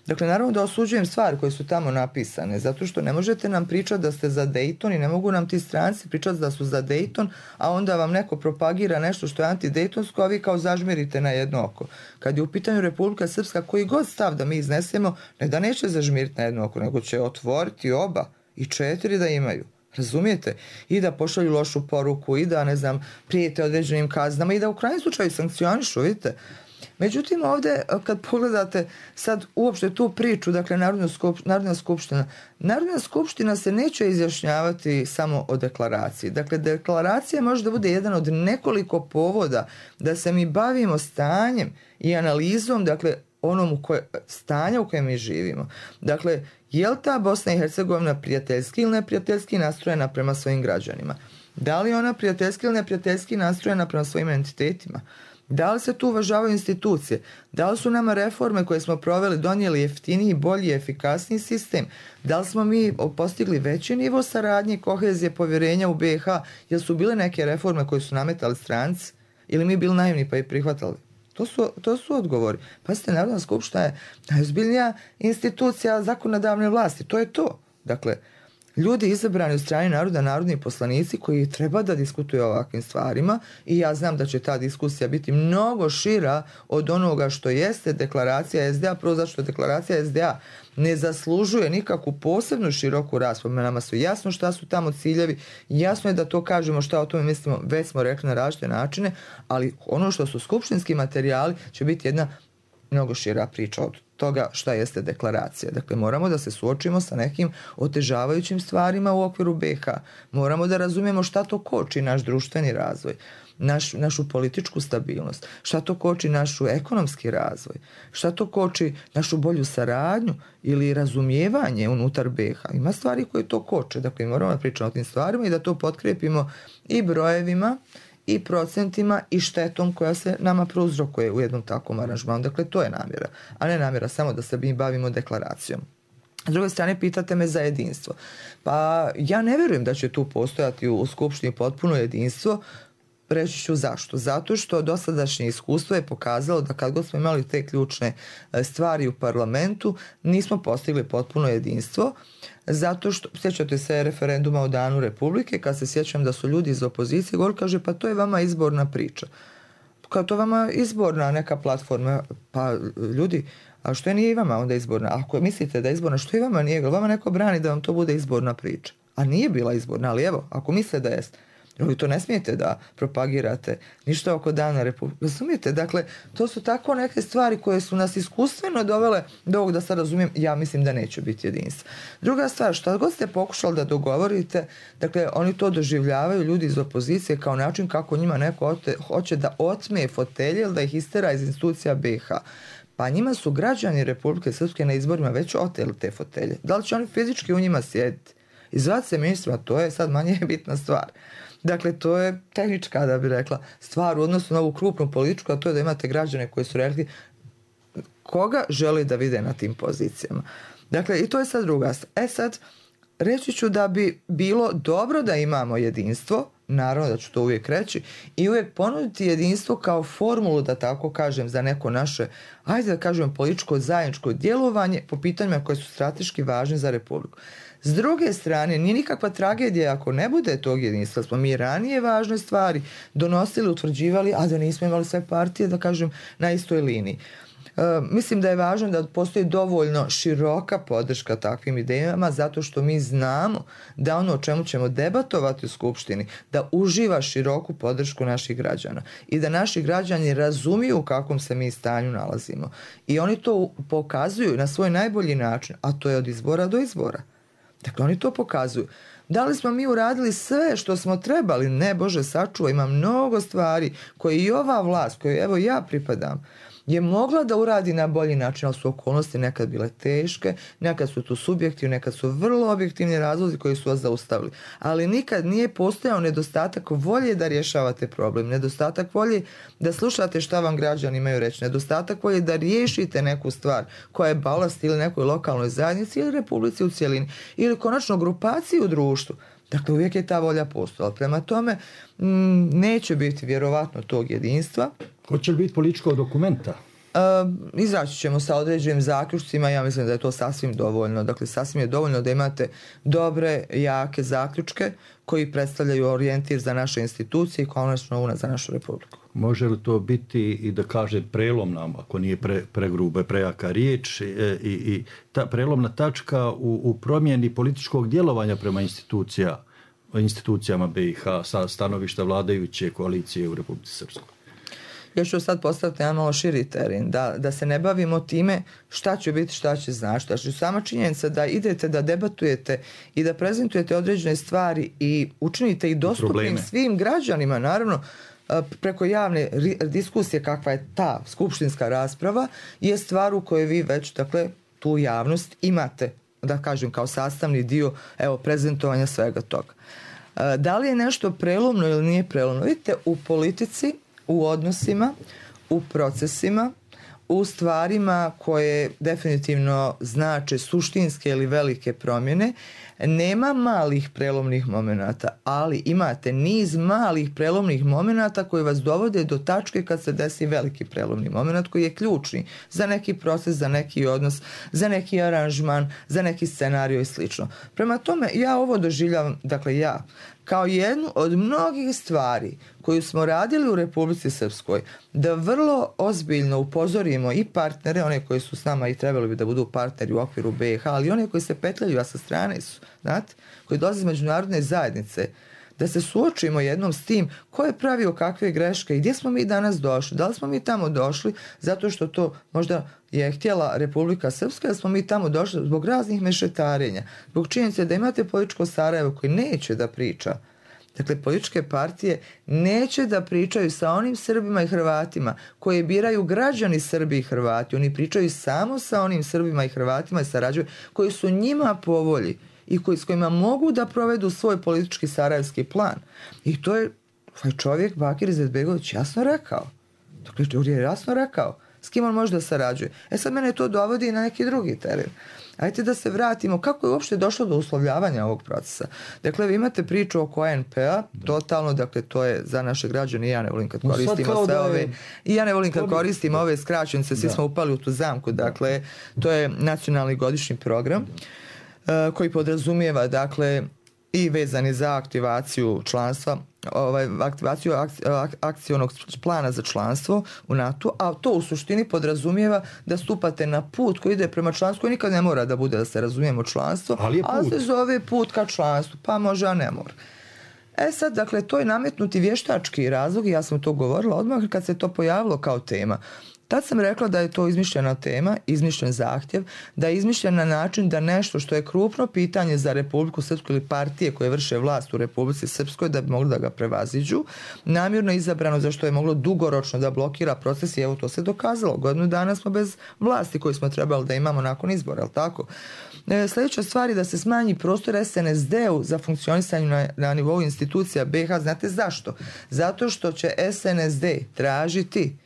Dakle, naravno da osuđujem stvari koje su tamo napisane, zato što ne možete nam pričati da ste za Dayton i ne mogu nam ti stranci pričati da su za Dayton, a onda vam neko propagira nešto što je antidejtonsko, a vi kao zažmirite na jedno oko. Kad je u pitanju Republika Srpska, koji god stav da mi iznesemo, ne da neće zažmiriti na jedno oko, nego će otvoriti oba i četiri da imaju. Razumijete? I da pošalju lošu poruku, i da, ne znam, prijete određenim kaznama, i da u krajnjem slučaju sankcionišu, vidite. Međutim, ovdje kad pogledate sad uopšte tu priču, dakle Narodna, skup, Narodna skupština, Narodna skupština se neće izjašnjavati samo o deklaraciji. Dakle, deklaracija može da bude jedan od nekoliko povoda da se mi bavimo stanjem i analizom, dakle, onom u koje, stanja u kojem mi živimo. Dakle, je li ta Bosna i Hercegovina prijateljski ili neprijateljski nastrojena prema svojim građanima? Da li ona prijateljski ili neprijateljski nastrojena prema svojim entitetima? Da li se tu uvažavaju institucije? Da li su nama reforme koje smo proveli donijeli jeftiniji, bolji, efikasniji sistem? Da li smo mi postigli veći nivo saradnje, kohezije, povjerenja u B i H? Jel su bile neke reforme koje su nametali stranci? Ili mi bili naivni pa i prihvatali? To su, to su odgovori. Pazite, Narodna skupština je najozbiljnija institucija zakonodavne vlasti. To je to. Dakle, ljudi izabrani od strane naroda, narodni poslanici koji treba da diskutuju o ovakvim stvarima, i ja znam da će ta diskusija biti mnogo šira od onoga što jeste deklaracija S D A, prvo zašto deklaracija S D A ne zaslužuje nikakvu posebnu široku raspravu. Nama su jasno šta su tamo ciljevi, jasno je da to kažemo šta o tome mislimo, već smo rekli na različite načine, ali ono što su skupštinski materijali će biti jedna mnogo šira priča od toga šta jeste deklaracija. Dakle, moramo da se suočimo sa nekim otežavajućim stvarima u okviru B i H. Moramo da razumijemo šta to koči naš društveni razvoj, naš, našu političku stabilnost, šta to koči našu ekonomski razvoj, šta to koči našu bolju saradnju ili razumijevanje unutar B i H. Ima stvari koje to koče. Dakle, moramo da pričamo o tim stvarima i da to potkrepimo i brojevima, i procentima, i štetom koja se nama prouzrokuje u jednom takvom aranžmanu. Dakle, to je namjera, a ne namjera samo da se mi bavimo deklaracijom. S druge strane, pitate me za jedinstvo. Pa ja ne vjerujem da će tu postojati u Skupštini potpuno jedinstvo. Reći ću zašto. Zato što dosadašnje iskustvo je pokazalo da kad god smo imali te ključne stvari u parlamentu, nismo postigli potpuno jedinstvo. Zato što, sjećate se referenduma o Danu Republike, kad se sjećam da su ljudi iz opozicije govorili, kaže, pa to je vama izborna priča. Kao to vama izborna neka platforma. Pa ljudi, a što je nije i vama onda izborna? Ako mislite da je izborna, što i vama nije? Vama neko brani da vam to bude izborna priča. A nije bila izborna, ali evo, ako mislite da jeste, vi to ne smijete da propagirate ništa oko Dana Republike. Razumijete? Dakle, to su tako neke stvari koje su nas iskustveno dovele do ovog, da sad razumijem, ja mislim da neće biti jedinstva. Druga stvar, što god ste pokušali da dogovorite, dakle, oni to doživljavaju, ljudi iz opozicije, kao način kako njima neko ote, hoće da otme fotelje ili da ih istera iz institucija B i H. Pa njima su građani Republike Srpske na izborima već oteli te fotelje. Da li će oni fizički u njima sjediti? Izvati se ministrima, to je sad manje bitna stvar. Dakle, to je tehnička, da bi rekla, stvar u odnosu na ovu krupnu političku, a to je da imate građane koji su rekli koga želi da vide na tim pozicijama. Dakle, i to je sad druga stvar. E sad, reći ću da bi bilo dobro da imamo jedinstvo, naravno da ću to uvijek reći, i uvijek ponuditi jedinstvo kao formulu, da tako kažem, za neko naše, ajde da kažem, političko zajedničko djelovanje po pitanjima koje su strateški važni za Republiku. S druge strane, nije nikakva tragedija ako ne bude tog jedinstva. Smo mi ranije važne stvari donosili, utvrđivali, a da nismo imali sve partije, da kažem, na istoj liniji. E, mislim da je važno da postoji dovoljno široka podrška takvim idejama, zato što mi znamo da ono o čemu ćemo debatovati u Skupštini, da uživa široku podršku naših građana i da naši građani razumiju u kakvom se mi stanju nalazimo. I oni to pokazuju na svoj najbolji način, a to je od izbora do izbora. Dakle, oni to pokazuju. Da li smo mi uradili sve što smo trebali? Ne, Bože sačuva, ima mnogo stvari koje i ova vlast, koju evo ja pripadam, je mogla da uradi na bolji način, ali su okolnosti nekad bile teške, nekad su tu subjektivni, nekad su vrlo objektivni razlozi koji su vas zaustavili. Ali nikad nije postojao nedostatak volje da rješavate problem, nedostatak volje da slušate šta vam građani imaju reći, nedostatak volje da riješite neku stvar koja je balast ili nekoj lokalnoj zajednici ili Republici u cjelini ili konačno grupaciji u društvu. Dakle, uvijek je ta volja postojala. Prema tome, m, neće biti vjerovatno tog jedinstva. Hoće li biti političkog dokumenta? izaći ćemo sa određenim zaključcima, ja mislim da je to sasvim dovoljno. Dakle, sasvim je dovoljno da imate dobre, jake zaključke koji predstavljaju orijentir za naše institucije i konačno una za našu republiku. Može li to biti i da kaže prelomna, ako nije pre, pregruba, prejaka riječ, i, i, i ta prelomna tačka u, u promjeni političkog djelovanja prema institucija, institucijama B i H sa stanovišta vladajuće koalicije u Republici Srpskoj? Ja ću sad postaviti jedan malo širi teren, da, da se ne bavimo time šta će biti, šta će znači. Znači, sama činjenica da idete da debatujete i da prezentujete određene stvari i učinite ih dostupnim probleme svim građanima, naravno, preko javne diskusije kakva je ta skupštinska rasprava, je stvar u kojoj vi već, dakle, tu javnost imate, da kažem, kao sastavni dio, evo, prezentovanja svega toga. Da li je nešto prelomno ili nije prelomno? Vidite, u politici, u odnosima, u procesima, u stvarima koje definitivno znače suštinske ili velike promjene, nema malih prelomnih momenata, ali imate niz malih prelomnih momenata koji vas dovode do tačke kad se desi veliki prelomni moment koji je ključni za neki proces, za neki odnos, za neki aranžman, za neki scenario i slično. Prema tome, ja ovo doživljavam, dakle ja, kao jednu od mnogih stvari koju smo radili u Republici Srpskoj, da vrlo ozbiljno upozorimo i partnere, one koji su s nama i trebali bi da budu partneri u okviru B i H, ali one koji se petljaju, a sa strane su, znate, koji dolaze iz međunarodne zajednice, da se suočimo jednom s tim ko je pravio kakve greške i gdje smo mi danas došli. Da li smo mi tamo došli zato što to možda je htjela Republika Srpska, da smo mi tamo došli zbog raznih mešetarenja, zbog činjenice da imate političko Sarajevo koji neće da priča. Dakle, političke partije neće da pričaju sa onim Srbima i Hrvatima koje biraju građani Srbi i Hrvati. Oni pričaju samo sa onim Srbima i Hrvatima i sarađuju koji su njima po volji i koji, s kojima mogu da provedu svoj politički sarajevski plan. I to je ovaj čovjek, Bakir Izetbegović, jasno rekao. Dakle, on je jasno rekao s kim on može da sarađuje. E sad mene to dovodi na neki drugi teren. Ajde da se vratimo kako je uopšte došlo do uslovljavanja ovog procesa. Dakle, vi imate priču oko A N P-a, totalno, dakle, to je za naše građane, i ja ne volim kad koristimo sve ove, i ja ne volim kad koristimo ove skraćenice, svi smo upali u tu zamku, dakle, to je nacionalni godišnji program koji podrazumijeva, dakle, i vezani za aktivaciju članstva, ovaj, aktivaciju akcionog plana za članstvo u NATO, a to u suštini podrazumijeva da stupate na put koji ide prema članstvu, koji nikad ne mora da bude, da se razumijemo, članstvo, ali, ali se zove put ka članstvu, pa može, a ne mora. E sad, dakle, to je nametnuti vještački razlog i ja sam to govorila odmah kad se to pojavilo kao tema. Tad sam rekla da je to izmišljena tema, izmišljen zahtjev, da je izmišljen na način da nešto što je krupno pitanje za Republiku Srpsku ili partije koje vrše vlast u Republici Srpskoj da bi mogli da ga prevaziđu, namjerno izabrano zašto je moglo dugoročno da blokira proces i evo to se dokazalo. Godinu dana smo bez vlasti koju smo trebali da imamo nakon izbora, je li tako? E, sljedeća stvar je da se smanji prostor S N S D-u za funkcionisanje na, na nivou institucija B i H. Znate zašto? Zato što će S N S D tražiti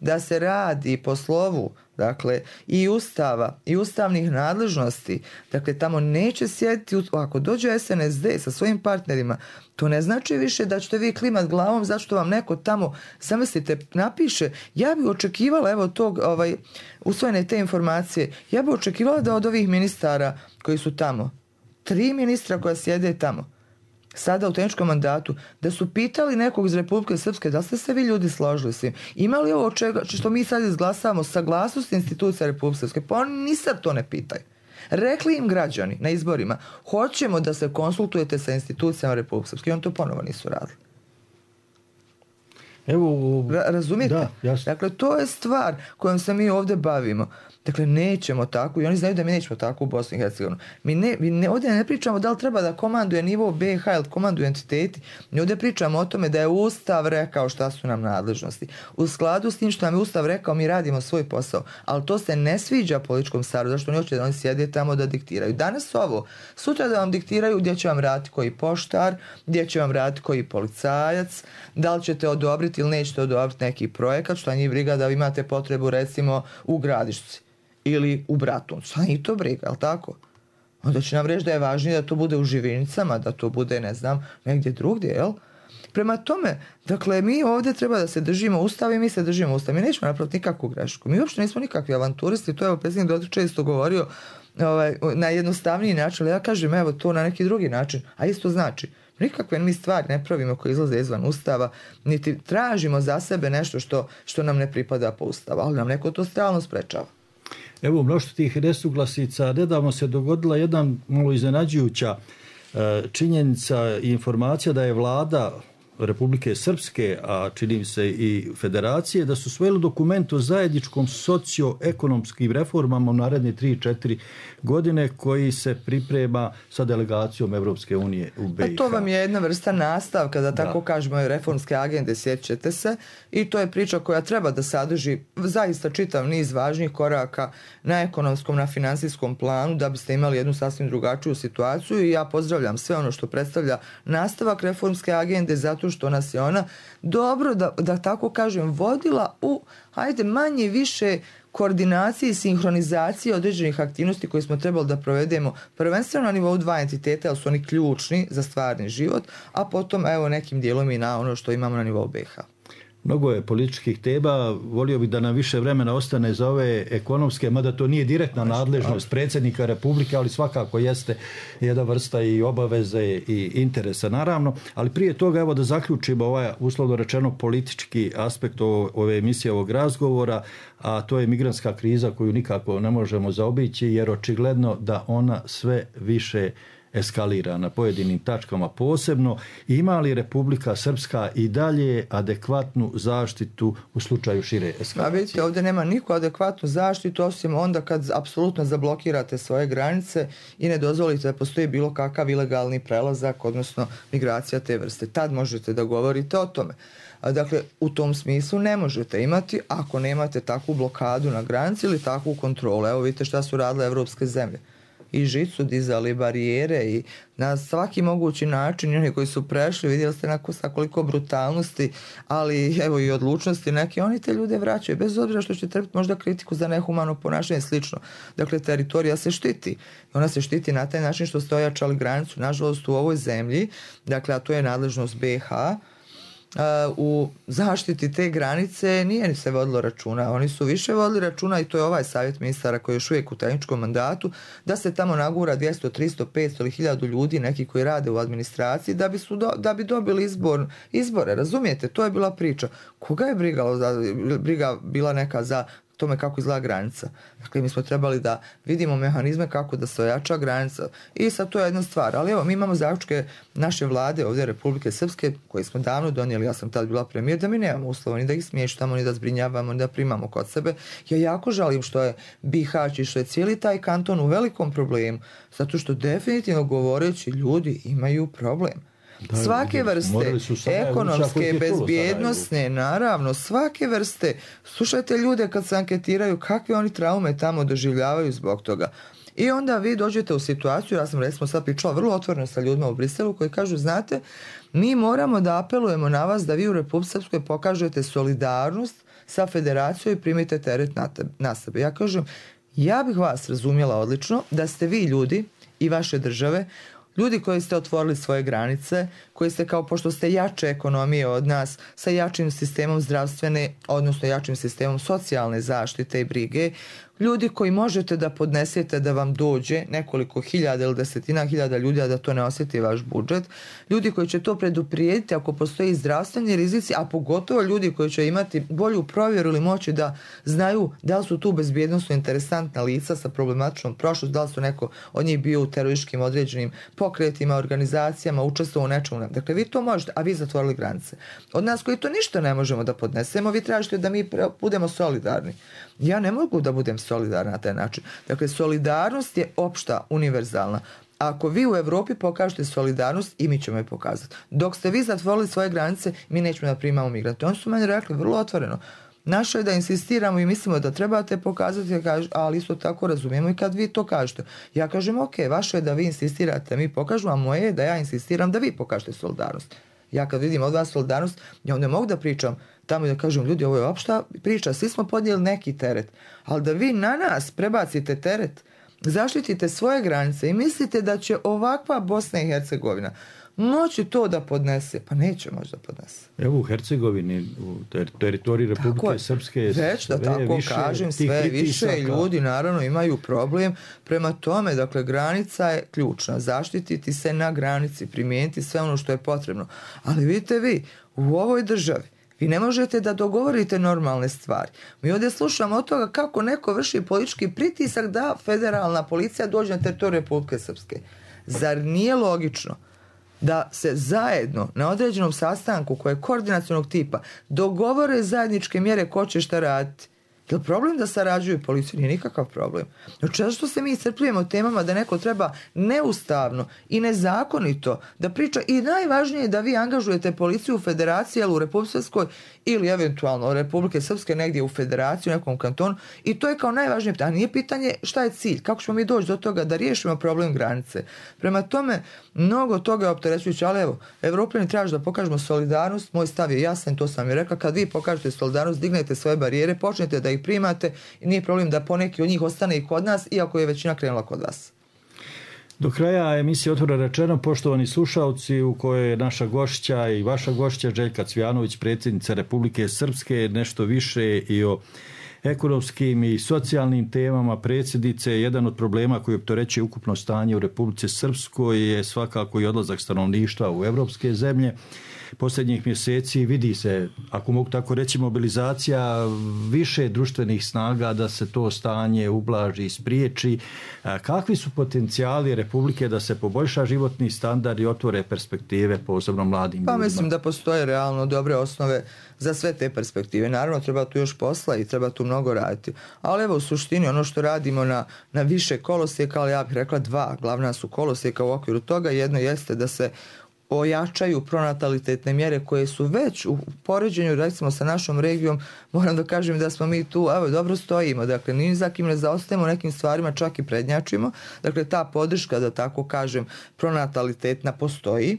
da se radi po slovu, dakle, i ustava, i ustavnih nadležnosti. Dakle, tamo neće sjediti, ako dođe S N S D sa svojim partnerima, to ne znači više da ćete vi klimat glavom zašto vam neko tamo, zamislite, napiše, ja bih očekivala, evo tog, ovaj, usvojene te informacije, ja bih očekivala da od ovih ministara koji su tamo, tri ministra koja sjede tamo, sada u tehničkom mandatu, da su pitali nekog iz Republike Srpske da ste se vi ljudi složili s tim. Ima li ovo čega, što mi sad izglasavamo saglasnost institucija Republike Srpske? Pa oni ni sad to ne pitaju. Rekli im građani na izborima, hoćemo da se konsultujete sa institucijama Republike Srpske i oni to ponovo nisu radili. Evo, Ra- razumijete? Da, jasno. Dakle, to je stvar kojom se mi ovdje bavimo. Dakle, nećemo tako i oni znaju da mi nećemo tako u Bosni i Hercegovini. Mi, ne, mi ne, ovdje ne pričamo da li treba da komanduje nivo B i H ili komanduju entiteti. Mi ovdje pričamo o tome da je Ustav rekao šta su nam nadležnosti. U skladu s tim što nam je Ustav rekao, mi radimo svoj posao. Ali to se ne sviđa političkom staru, zašto oni hoće da oni sjede tamo da diktiraju. Danas ovo, sutra da vam diktiraju gdje će vam raditi koji poštar, gdje će vam raditi koji policajac, da li ćete odobriti ili nećete odobriti neki projekat, što njih briga da vi imate potrebu recimo u Gradišci ili u Bratuncu. Šta njih to briga, je li tako? Onda će nam reći da je važnije da to bude u Živinicama, da to bude, ne znam, negdje drugdje, jel? Prema tome, dakle, mi ovdje treba da se držimo Ustava i mi se držimo Ustava. Mi nećemo napraviti nikakvu grešku. Mi uopšte nismo nikakvi avanturisti, to je predsjednik Dodik često govorio ovaj, na jednostavniji način, ali ja kažem evo to na neki drugi način, a isto znači nikakve mi stvari ne pravimo koje izlaze izvan Ustava, niti tražimo za sebe nešto što, što nam ne pripada po Ustavu, ali nam neko to stalno sprečava. Evo, mnoštvo tih nesuglasica, nedavno se dogodila jedan malo iznenađujuća činjenica i informacija da je vlada Republike Srpske, a čini se i Federacije, da su svojili dokument o zajedničkom socioekonomskim reformama u naredne tri četiri godine koji se priprema sa delegacijom Evropske unije u B i H. A to vam je jedna vrsta nastavka, da tako da. kažemo, reformske agende, sjećate se, i to je priča koja treba da sadrži zaista čitav niz važnih koraka na ekonomskom, na financijskom planu, da biste imali jednu sasvim drugačiju situaciju, i ja pozdravljam sve ono što predstavlja nastavak reformske agende, zato što nas je ona dobro, da, da tako kažem, vodila u, hajde, manje više koordinaciji i sinhronizaciji određenih aktivnosti koje smo trebali da provedemo prvenstveno na nivou dva entiteta, jer su oni ključni za stvarni život, a potom evo nekim dijelom i na ono što imamo na nivou B i H. Mnogo je političkih tema, volio bih da nam više vremena ostane za ove ekonomske, mada to nije direktna nadležnost predsjednika Republike, ali svakako jeste jedna vrsta i obaveze i interesa, naravno. Ali prije toga, evo da zaključimo ovaj, uslovno rečeno, politički aspekt ove emisije, ovog razgovora, a to je migrantska kriza koju nikako ne možemo zaobići, jer očigledno da ona sve više eskalira na pojedinim tačkama posebno. Ima li Republika Srpska i dalje adekvatnu zaštitu u slučaju šire eskalacije? A vidite, ovdje nema niko adekvatnu zaštitu, osim onda kad apsolutno zablokirate svoje granice i ne dozvolite da postoji bilo kakav ilegalni prelazak, odnosno migracija te vrste. Tad možete da govorite o tome. Dakle, u tom smislu ne možete imati ako nemate takvu blokadu na granici ili takvu kontrolu. Evo vidite šta su radile evropske zemlje. I žicu dizali, barijere i na svaki mogući način, oni koji su prešli, vidjeli ste na sa koliko brutalnosti, ali evo i odlučnosti neke, oni te ljude vraćaju, bez obzira što će trpiti možda kritiku za nehumano ponašanje i slično. Dakle, teritorija se štiti. Ona se štiti na taj način što ste ojačali granicu, nažalost, u ovoj zemlji, dakle, a to je nadležnost B i H, u zaštiti te granice nije se vodilo računa. Oni su više vodili računa, i to je ovaj savjet ministara koji je još uvijek u tehničkom mandatu, da se tamo nagura dvjesto, tristo, petsto ili hiljadu ljudi, neki koji rade u administraciji, da bi, su do, da bi dobili izbor, izbore. Razumijete? To je bila priča. Koga je brigalo za, briga bila neka za tome kako izgleda granica? Dakle, mi smo trebali da vidimo mehanizme kako da se ojača granica, i sad to je jedna stvar. Ali evo, mi imamo zaključke naše vlade ovdje Republike Srpske, koje smo davno donijeli, ja sam tad bila premijer, da mi nemamo uslova ni da ih smještamo, ni da zbrinjavamo, ni da primamo kod sebe. Ja jako žalim što je Bihać i što je cijeli taj kanton u velikom problemu, zato što definitivno govoreći ljudi imaju problem. Da, svake vrste, ekonomske, bezbjednosne, naravno, svake vrste. Slušajte ljude kad se anketiraju kakve oni traume tamo doživljavaju zbog toga. I onda vi dođete u situaciju, ja sam recimo sad pričala vrlo otvoreno sa ljudima u Briselu koji kažu, znate, mi moramo da apelujemo na vas da vi u Republici Srpskoj pokažete solidarnost sa federacijom i primite teret na, te, na sebe. Ja kažem, ja bih vas razumjela odlično da ste vi ljudi i vaše države, ljudi koji ste otvorili svoje granice, koji ste, kao pošto ste jače ekonomije od nas, sa jačim sistemom zdravstvene, odnosno jačim sistemom socijalne zaštite i brige, ljudi koji možete da podnesete da vam dođe nekoliko hiljada ili desetina hiljada ljudi, a da to ne osjeti vaš budžet, ljudi koji će to preduprijediti ako postoji zdravstveni rizici, a pogotovo ljudi koji će imati bolju provjeru ili moći da znaju da li su tu bezbjednosno interesantna lica sa problematičnom prošlost, da li su neko od njih bio u terorističkim određenim pokretima, organizacijama, učestvovao u nečemu. Dakle, vi to možete, a vi zatvorili granice. Od nas koji to ništa ne možemo da podnesemo, vi tražite da mi budemo solidarni. Ja ne mogu da budem solidarna na taj način. Dakle, solidarnost je opšta, univerzalna. Ako vi u Evropi pokažete solidarnost, i mi ćemo je pokazati. Dok ste vi zatvorili svoje granice, mi nećemo da primamo migrante. Oni su meni rekli vrlo otvoreno. Naše je da insistiramo i mislimo da trebate pokazati, ali isto tako razumijemo i kad vi to kažete. Ja kažem, ok, vaše je da vi insistirate, mi pokažemo, a moje je da ja insistiram da vi pokažete solidarnost. Ja kad vidim od vas solidarnost, ja onda mogu da pričam tamo i da kažem, ljudi, ovo je opšta priča, svi smo podijeli neki teret, ali da vi na nas prebacite teret, zaštitite svoje granice i mislite da će ovakva Bosna i Hercegovina moći to da podnese? Pa neće moći da podnese. Evo u Hercegovini, u ter- teritoriji Republike Srpske, već da tako više kažem, sve više ljudi naravno imaju problem. Prema tome, dakle, granica je ključna. Zaštititi se na granici, primijeniti sve ono što je potrebno. Ali vidite vi, u ovoj državi vi ne možete da dogovorite normalne stvari. Mi ovdje slušamo od toga kako neko vrši politički pritisak da federalna policija dođe na teritoriju Republike Srpske. Zar nije logično da se zajedno na određenom sastanku koje je koordinacionog tipa dogovore zajedničke mjere ko će šta raditi? Je li problem da sarađuju policiju? Nije nikakav problem. Znači, što se mi iscrpljujemo temama da neko treba neustavno i nezakonito da priča, i najvažnije je da vi angažujete policiju u federaciji, ali u Republike Srpskoj ili eventualno Republike Srpske negdje u federaciji, u nekom kantonu, i to je kao najvažnije pitanje. A nije pitanje šta je cilj, kako ćemo mi doći do toga da riješimo problem granice. Prema tome, mnogo toga je opterećujuće, ali evo, Evropljani traže da pokažemo solidarnost, moj stav je jasan, to sam i rekla, kad vi pokažete solidarnost, dignete svoje barijere, počnete da ih primate i nije problem da poneki od njih ostane i kod nas, iako je većina krenula kod vas. Do kraja emisije Otvoreno rečeno, poštovani slušalci, u kojoj je naša gošća i vaša gošća Željka Cvijanović, predsjednica Republike Srpske, nešto više i o ekonomskim i socijalnim temama predsjednice. Jedan od problema koji opterećuje ukupno stanje u Republici Srpskoj je svakako i odlazak stanovništva u evropske zemlje. Posljednjih mjeseci vidi se, ako mogu tako reći, mobilizacija više društvenih snaga da se to stanje ublaži i spriječi. Kakvi su potencijali Republike da se poboljša životni standard i otvore perspektive posebno mladim ljudima? Pa mislim da postoje realno dobre osnove za sve te perspektive. Naravno, treba tu još posla i treba tu mnogo raditi. Ali evo, u suštini, ono što radimo na, na više kolosijeka, ali ja bih rekla dva glavna su kolosijeka u okviru toga. Jedno jeste da se ojačaju pronatalitetne mjere koje su već u poređenju, recimo, sa našom regijom. Moram da kažem da smo mi tu, evo, dobro stojimo, dakle, ni za kim ne zaostajemo nekim stvarima, čak i prednjačimo. Dakle, ta podrška, da tako kažem, pronatalitetna postoji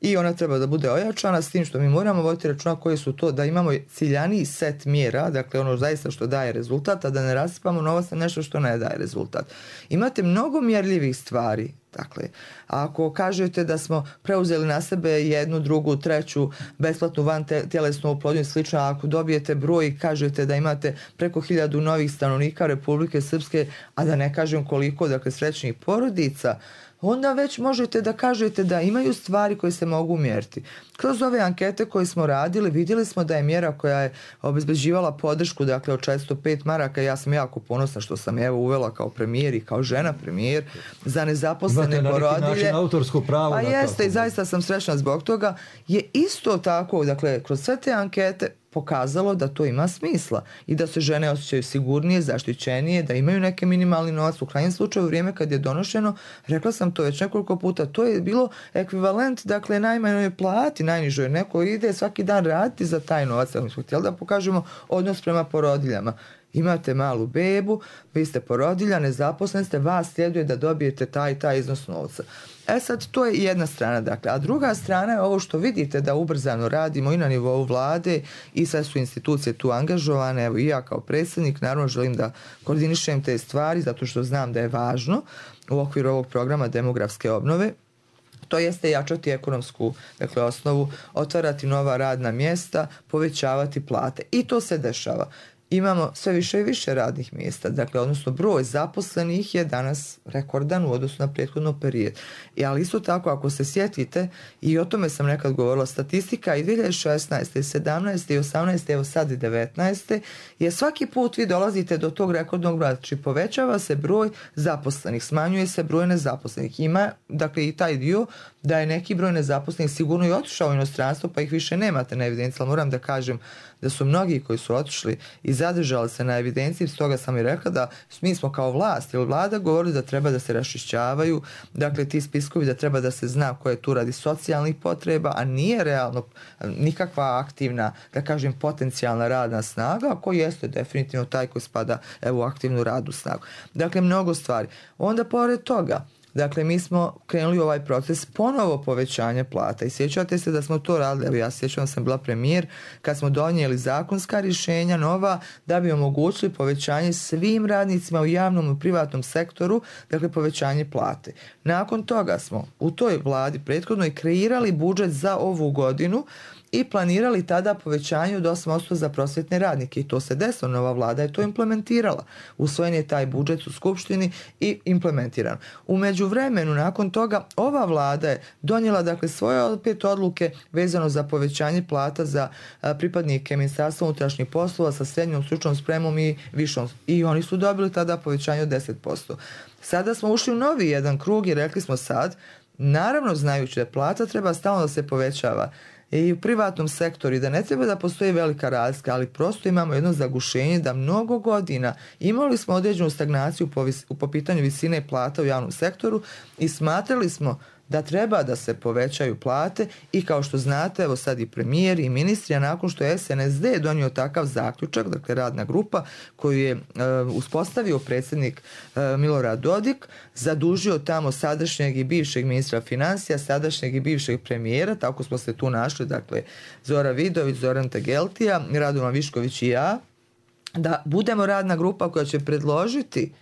i ona treba da bude ojačana, s tim što mi moramo voditi računa koji su to, da imamo ciljaniji set mjera, dakle, ono zaista što daje rezultat, a da ne rasipamo novac na nešto što ne daje rezultat. Imate mnogo mjerljivih stvari. Dakle, ako kažete da smo preuzeli na sebe jednu, drugu, treću besplatnu van tjelesnu oplodnju i slično, ako dobijete broj i kažete da imate preko hiljadu novih stanovnika Republike Srpske, a da ne kažem koliko, dakle, srećnih porodica, onda već možete da kažete da imaju stvari koje se mogu mjeriti. Kroz ove ankete koje smo radili, vidjeli smo da je mjera koja je obezbeđivala podršku, dakle, od četiristo pet maraka, ja sam jako ponosna što sam evo uvela kao premijer i kao žena premijer za nezaposlene porodilje. Autorsko pravo. A jeste, i zaista sam srećna zbog toga. Je isto tako, dakle, kroz sve te ankete pokazalo da to ima smisla i da se žene osjećaju sigurnije, zaštićenije, da imaju neki minimalni novac. U krajnjem slučaju, u vrijeme kad je donošeno, rekla sam to već nekoliko puta, to je bilo ekvivalent, dakle, najmanjoj plati, najnižoj. Neko ide svaki dan raditi za taj novac. Mi smo htjeli da pokažemo odnos prema porodiljama. Imate malu bebu, vi ste porodilja, nezaposleni ste, vas sljeduje da dobijete taj taj iznos novca. E sad, to je jedna strana, dakle. A druga strana je ovo što vidite da ubrzano radimo i na nivou vlade i sve su institucije tu angažovane. Evo i ja kao predsjednik naravno želim da koordinišem te stvari zato što znam da je važno u okviru ovog programa demografske obnove. To jeste jačati ekonomsku, dakle, osnovu, otvarati nova radna mjesta, povećavati plate. I to se dešava. Imamo sve više i više radnih mjesta, dakle, odnosno broj zaposlenih je danas rekordan u odnosu na prethodno period. I, ali isto tako, ako se sjetite, i o tome sam nekad govorila, statistika i dvije hiljade šesnaeste, sedamnaeste i osamnaeste, evo sad i devetnaeste, je svaki put vi dolazite do tog rekordnog broja, znači povećava se broj zaposlenih, smanjuje se broj nezaposlenih. Ima, dakle, i taj dio da je neki broj nezaposlenih sigurno i otišao u inostranstvo, pa ih više nemate na evidenciji, ali moram da kažem da su mnogi koji su otišli i zadržali se na evidenciji, stoga sam i rekla da mi smo kao vlast ili vlada govorili da treba da se raščišćavaju, dakle, ti spiskovi, da treba da se zna ko je tu radi socijalnih potreba, a nije realno nikakva aktivna, da kažem, potencijalna radna snaga, a koji jeste definitivno taj koji spada, evo, u aktivnu radnu snagu. Dakle, mnogo stvari. Onda, pored toga, Dakle, mi smo krenuli u ovaj proces ponovo povećanja plata i sjećate se da smo to radili, evo ja sjećam da sam bila premijer kad smo donijeli zakonska rješenja nova da bi omogućili povećanje svim radnicima u javnom i privatnom sektoru, dakle povećanje plate. Nakon toga smo u toj vladi prethodno i kreirali budžet za ovu godinu i planirali tada povećanje od osam posto za prosvjetne radnike i to se desilo, nova vlada je to implementirala. Usvojen je taj budžet u Skupštini i implementiran. U međuvremenu, nakon toga, ova vlada je donijela dakle svoje opet odluke vezano za povećanje plata za a, pripadnike Ministarstva unutrašnjih poslova sa srednjom stručnom spremom i višom. I oni su dobili tada povećanje od deset posto. Sada smo ušli u novi jedan krug i rekli smo sad, naravno znajući da plata treba stalno da se povećava i u privatnom sektoru i da ne treba da postoji velika razlika, ali prosto imamo jedno zagušenje da mnogo godina imali smo određenu stagnaciju po, vis, po pitanju visine plata u javnom sektoru i smatrali smo da treba da se povećaju plate i kao što znate, evo sad i premijer i ministri, a nakon što je S N S D donio takav zaključak, dakle radna grupa koju je e, uspostavio predsjednik e, Milorad Dodik, zadužio tamo sadašnjeg i bivšeg ministra financija, sadašnjeg i bivšeg premijera, tako smo se tu našli, dakle Zora Vidović, Zoran Tegeltija, Radovan Višković i ja, da budemo radna grupa koja će predložiti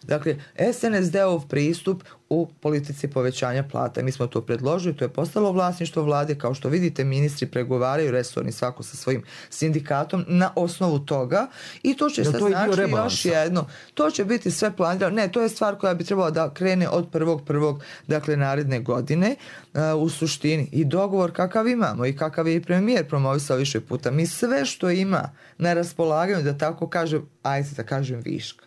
dakle, S N S D-ov pristup u politici povećanja plata. Mi smo to predložili, to je postalo vlasništvo vlade, kao što vidite ministri pregovaraju resorni svako sa svojim sindikatom na osnovu toga i to će sad znači još jedno. To će biti sve planirano. Ne, to je stvar koja bi trebala da krene od prvog prvog dakle naredne godine uh, u suštini i dogovor kakav imamo i kakav je i premijer promovisao više puta. Mi sve što ima na raspolaganju, da tako kažem, ajde da kažem viška,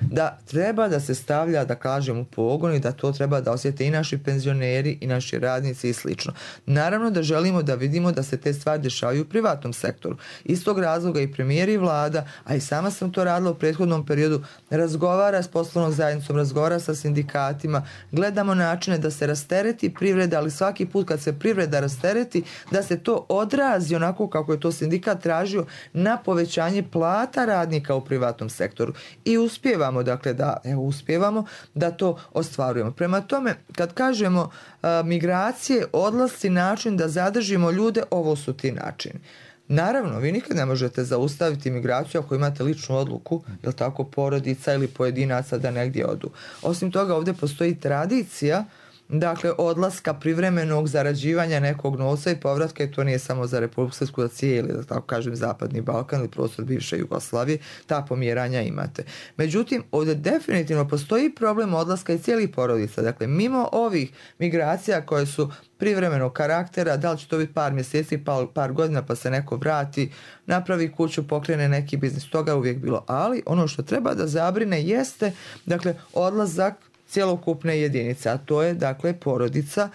da treba da se stavlja, da kažem, u pogon i da to treba da osjete i naši penzioneri i naši radnici i slično. Naravno da želimo da vidimo da se te stvari dešavaju u privatnom sektoru. Iz tog razloga i premijer i vlada, a i sama sam to radila u prethodnom periodu, razgovara s poslovnom zajednicom, razgovara sa sindikatima, gledamo načine da se rastereti privreda, ali svaki put kad se privreda rastereti, da se to odrazi onako kako je to sindikat tražio na povećanje plata radnika u privatnom sektoru. I uspijeva dakle da evo uspijevamo da to ostvarujemo. Prema tome, kad kažemo a, migracije, odlasci, način da zadržimo ljude, ovo su ti načini. Naravno, vi nikad ne možete zaustaviti migraciju ako imate ličnu odluku, jel tako, porodica ili pojedinaca da negdje odu. Osim toga, ovdje postoji tradicija dakle odlaska privremenog zarađivanja nekog novca i povratka i to nije samo za Republiku Srpsku, za cijeli, da tako kažem, Zapadni Balkan ili prostor bivše Jugoslavije, ta pomjeranja imate. Međutim, ovdje definitivno postoji problem odlaska i cijelih porodica. Dakle, mimo ovih migracija koje su privremenog karaktera, da li će to biti par mjeseci, par, par godina pa se neko vrati, napravi kuću, pokrene neki biznis, toga je uvijek bilo. Ali ono što treba da zabrine jeste, dakle, odlazak cjelokupne jedinice, a to je dakle porodica.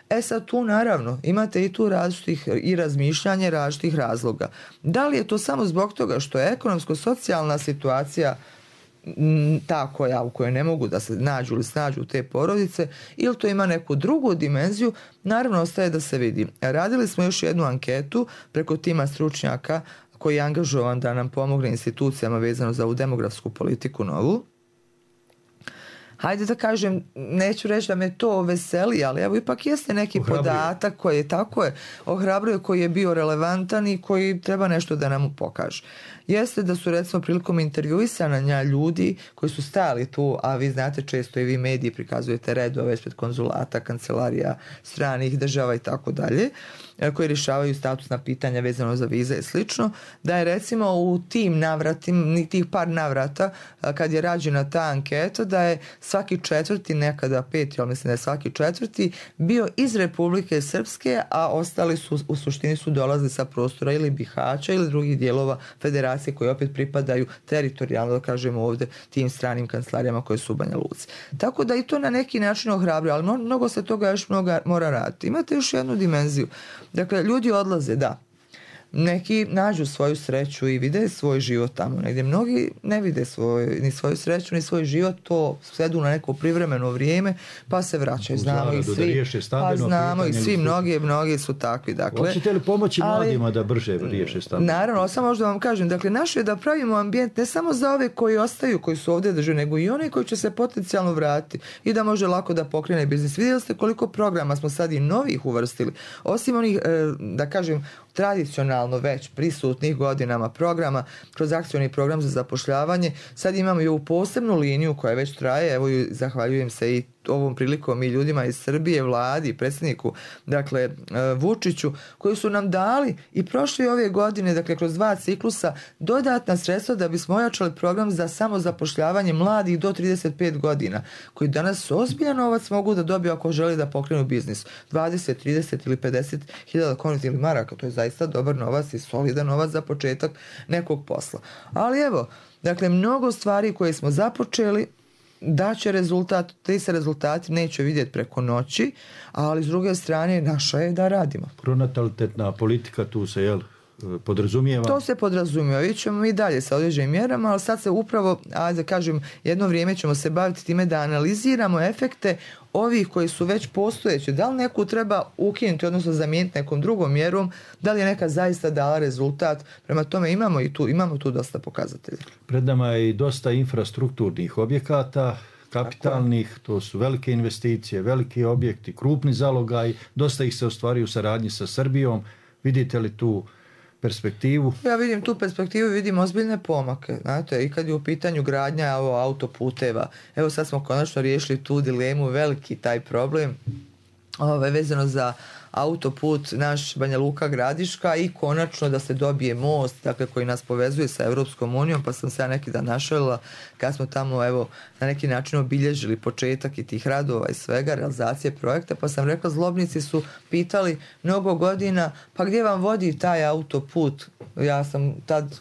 E sad tu naravno imate i tu različitih i razmišljanje različitih razloga. Da li je to samo zbog toga što je ekonomsko-socijalna situacija ta koja, u kojoj ne mogu da se nađu ili snađu te porodice, ili to ima neku drugu dimenziju, naravno ostaje da se vidi. Radili smo još jednu anketu preko tima stručnjaka koji je angažovan da nam pomogne institucijama vezano za ovu demografsku politiku novu. Hajde da kažem, neću reći da me to veseli, ali evo ipak jeste neki ohrabruje. Podatak koji je tako je, ohrabruje, koji je bio relevantan i koji treba nešto da nam pokaže. Jeste da su recimo prilikom intervjuisanja ljudi koji su stajali tu, a vi znate često i vi mediji prikazujete redove ispred konzulata, kancelarija stranih država i tako dalje, koji rješavaju statusna pitanja vezano za vize i slično, da je recimo u tim navratim, tih par navrata kad je rađena ta anketa, da je svaki četvrti, nekada peti, ali mislim da je svaki četvrti bio iz Republike Srpske, a ostali su u suštini su dolazili sa prostora ili Bihaća ili drugih dijelova federacije koji opet pripadaju teritorijalno, da kažemo ovdje, tim stranim kancelarijama koje su u Banja Luci. Tako da i to na neki način ohrabruje, ali mnogo se toga još mnogo mora raditi. Imate još jednu dimenziju. Dakle, ljudi odlaze, da. neki nađu svoju sreću i vide svoj život tamo negdje. Mnogi ne vide svoj, ni svoju sreću, ni svoj život, to svedu na neko privremeno vrijeme, pa se vraćaju. Znamo i svi, pa znamo i svi, mnogi, mnogi su takvi. Dakle, hoćete li pomoći mladima da brže riješe stambeno? Naravno, samo možda vam kažem, dakle, naše je da pravimo ambijent ne samo za ove koji ostaju, koji su ovdje drže, nego i one koji će se potencijalno vratiti i da može lako da pokrene biznis. Vidjeli ste koliko programa smo sad i novih uvrstili, osim onih, da kažem, tradicionalno već prisutnih godinama programa, kroz akcioni program za zapošljavanje. Sad imamo i ovu posebnu liniju koja već traje, evo zahvaljujem se i ovom prilikom i ljudima iz Srbije, vladi, predsjedniku, dakle Vučiću, koji su nam dali i prošle ove godine, dakle kroz dva ciklusa, dodatna sredstva da bismo ojačali program za samozapošljavanje mladih do trideset pet godina, koji danas ozbiljan novac mogu da dobiju ako žele da pokrenu biznis. dvadeset, trideset ili pedeset hiljada konvertibilnih maraka, to je zaista dobar novac i solidan novac za početak nekog posla. Ali evo, dakle, mnogo stvari koje smo započeli da će rezultat, te se rezultati neće vidjeti preko noći, ali s druge strane naša je da radimo. Pronatalitetna politika tu se, jel, podrazumijeva? To se podrazumijeva. Vidjet ćemo mi dalje sa određenim mjerama, ali sad se upravo, ajde da kažem, jedno vrijeme ćemo se baviti time da analiziramo efekte ovih koji su već postojeći. Da li neku treba ukinuti, odnosno zamijeniti nekom drugom mjerom, da li je neka zaista dala rezultat. Prema tome imamo i tu, imamo tu dosta pokazatelja. Pred nama je i dosta infrastrukturnih objekata, kapitalnih, to su velike investicije, veliki objekti, krupni zalogaj, dosta ih se ostvari u saradnji sa Srbijom. Vidite li tu perspektivu? Ja vidim tu perspektivu i vidim ozbiljne pomake. Znate, i kad je u pitanju gradnja ovo, autoputeva, evo sad smo konačno riješili tu dilemu, veliki taj problem ove, vezano za autoput naš Banja Luka Gradiška i konačno da se dobije most, dakle, koji nas povezuje sa Europskom unijom, pa sam se ja neki dan našalila kad smo tamo, evo, na neki način obilježili početak i tih radova i svega, realizacije projekta, pa sam rekla, zlobnici su pitali mnogo godina, pa gdje vam vodi taj autoput? Ja sam tad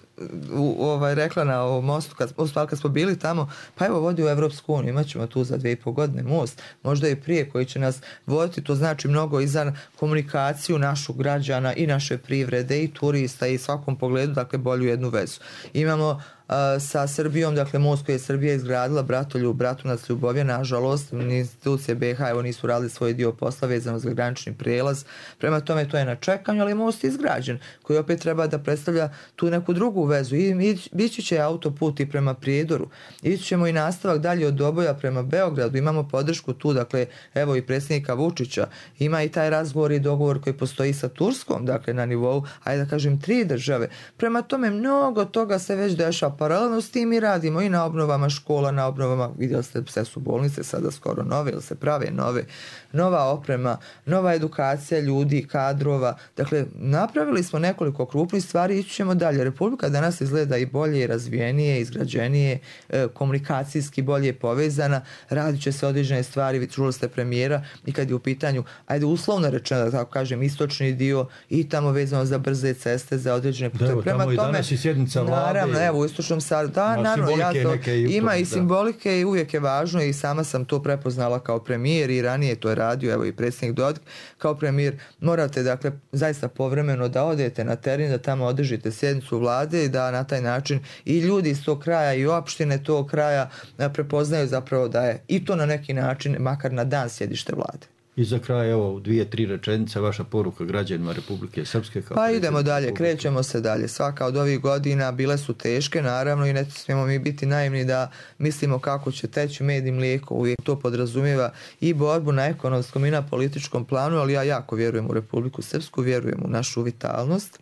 u, ovaj, rekla na ovom mostu, kad, kad smo bili tamo, pa evo vodi u Europsku uniju, imat ćemo tu za dvije i pol godine most, možda i prije, koji će nas voditi, to znači mnogo i za komunikaciju našu građana i naše privrede i turista i svakom pogledu, dakle, bolju jednu vezu. Imamo sa Srbijom, dakle most koji je Srbija izgradila, Bratoljub, Bratunac, Ljubovija, nažalost institucije B iH evo nisu radili svoj dio posla vezano za granični prijelaz, prema tome to je na čekanju, ali most je izgrađen koji opet treba da predstavlja tu neku drugu vezu i ići će autoput i prema Prijedoru, ići ćemo i nastavak dalje od Doboja prema Beogradu, imamo podršku tu, dakle evo i predsjednika Vučića, ima i taj razgovor i dogovor koji postoji sa Turskom, dakle na nivou, ajde da kažem, tri države, prema tome mnogo toga se već dešava. Paralelno s tim i radimo i na obnovama škola, na obnovama, vidjeli ste, sve su bolnice sada skoro nove, ili se prave nove, nova oprema, nova edukacija ljudi, kadrova, dakle napravili smo nekoliko krupnih stvari i ići ćemo dalje. Republika danas izgleda i bolje, i razvijenije, izgrađenije, komunikacijski bolje povezana, radit će se određene stvari, vi čuli ste premijera i kad je u pitanju, ajde uslovno rečeno, da tako kažem, istočni dio i tamo vezano za brze ceste, za određene puteve. Evo, prema tamo tome, i danas i sjednica vlade. Naravno, evo, u istočnom sad, da, naravno, ja to, ima i simbolike i uvijek je važno i sama sam to prepoznala kao premijer i ranije to je radio, evo i predsjednik Dodik, kao premijer morate, dakle, zaista povremeno da odete na teren, da tamo održite sjednicu vlade i da na taj način i ljudi iz tog kraja i opštine tog kraja prepoznaju zapravo da je i to na neki način, makar na dan, sjedište vlade. I za kraj, evo, dvije, tri rečenice, vaša poruka građanima Republike Srpske. Kao pa idemo dalje, Republike. Krećemo se dalje. Svaka od ovih godina bile su teške, naravno, i ne smijemo mi biti naivni da mislimo kako će teći med i mlijeko. Uvijek to podrazumijeva i borbu na ekonomskom i na političkom planu, ali ja jako vjerujem u Republiku Srpsku, vjerujem u našu vitalnost.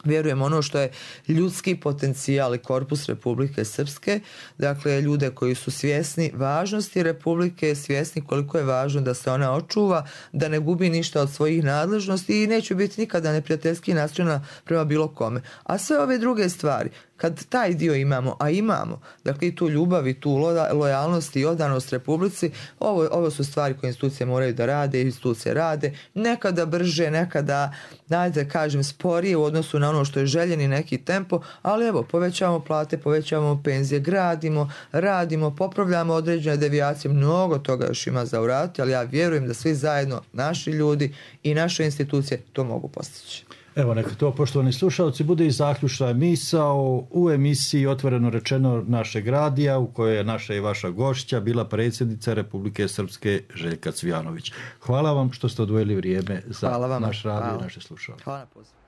Vjerujem ono što je ljudski potencijal i korpus Republike Srpske, dakle ljude koji su svjesni važnosti Republike, svjesni koliko je važno da se ona očuva, da ne gubi ništa od svojih nadležnosti i neće biti nikada neprijateljski nastrojena prema bilo kome. A sve ove druge stvari, kad taj dio imamo, a imamo, dakle i tu ljubav i tu lojalnost i odanost Republici, ovo, ovo su stvari koje institucije moraju da rade i institucije rade, nekada brže, nekada, dajte kažem, sporije u odnosu na ono što je željeni neki tempo, ali evo, povećavamo plate, povećavamo penzije, gradimo, radimo, popravljamo određene devijacije, mnogo toga još ima za uraditi, ali ja vjerujem da svi zajedno, naši ljudi i naše institucije to mogu postići. Evo, neka to, poštovani slušalci, bude i zaključna misao u emisiji Otvoreno rečeno našeg radija, u kojoj je naša i vaša gošća bila predsjednica Republike Srpske Željka Cvijanović. Hvala vam što ste odvojili vrijeme za naš radio i naše slušalce. Hvala na pozivu.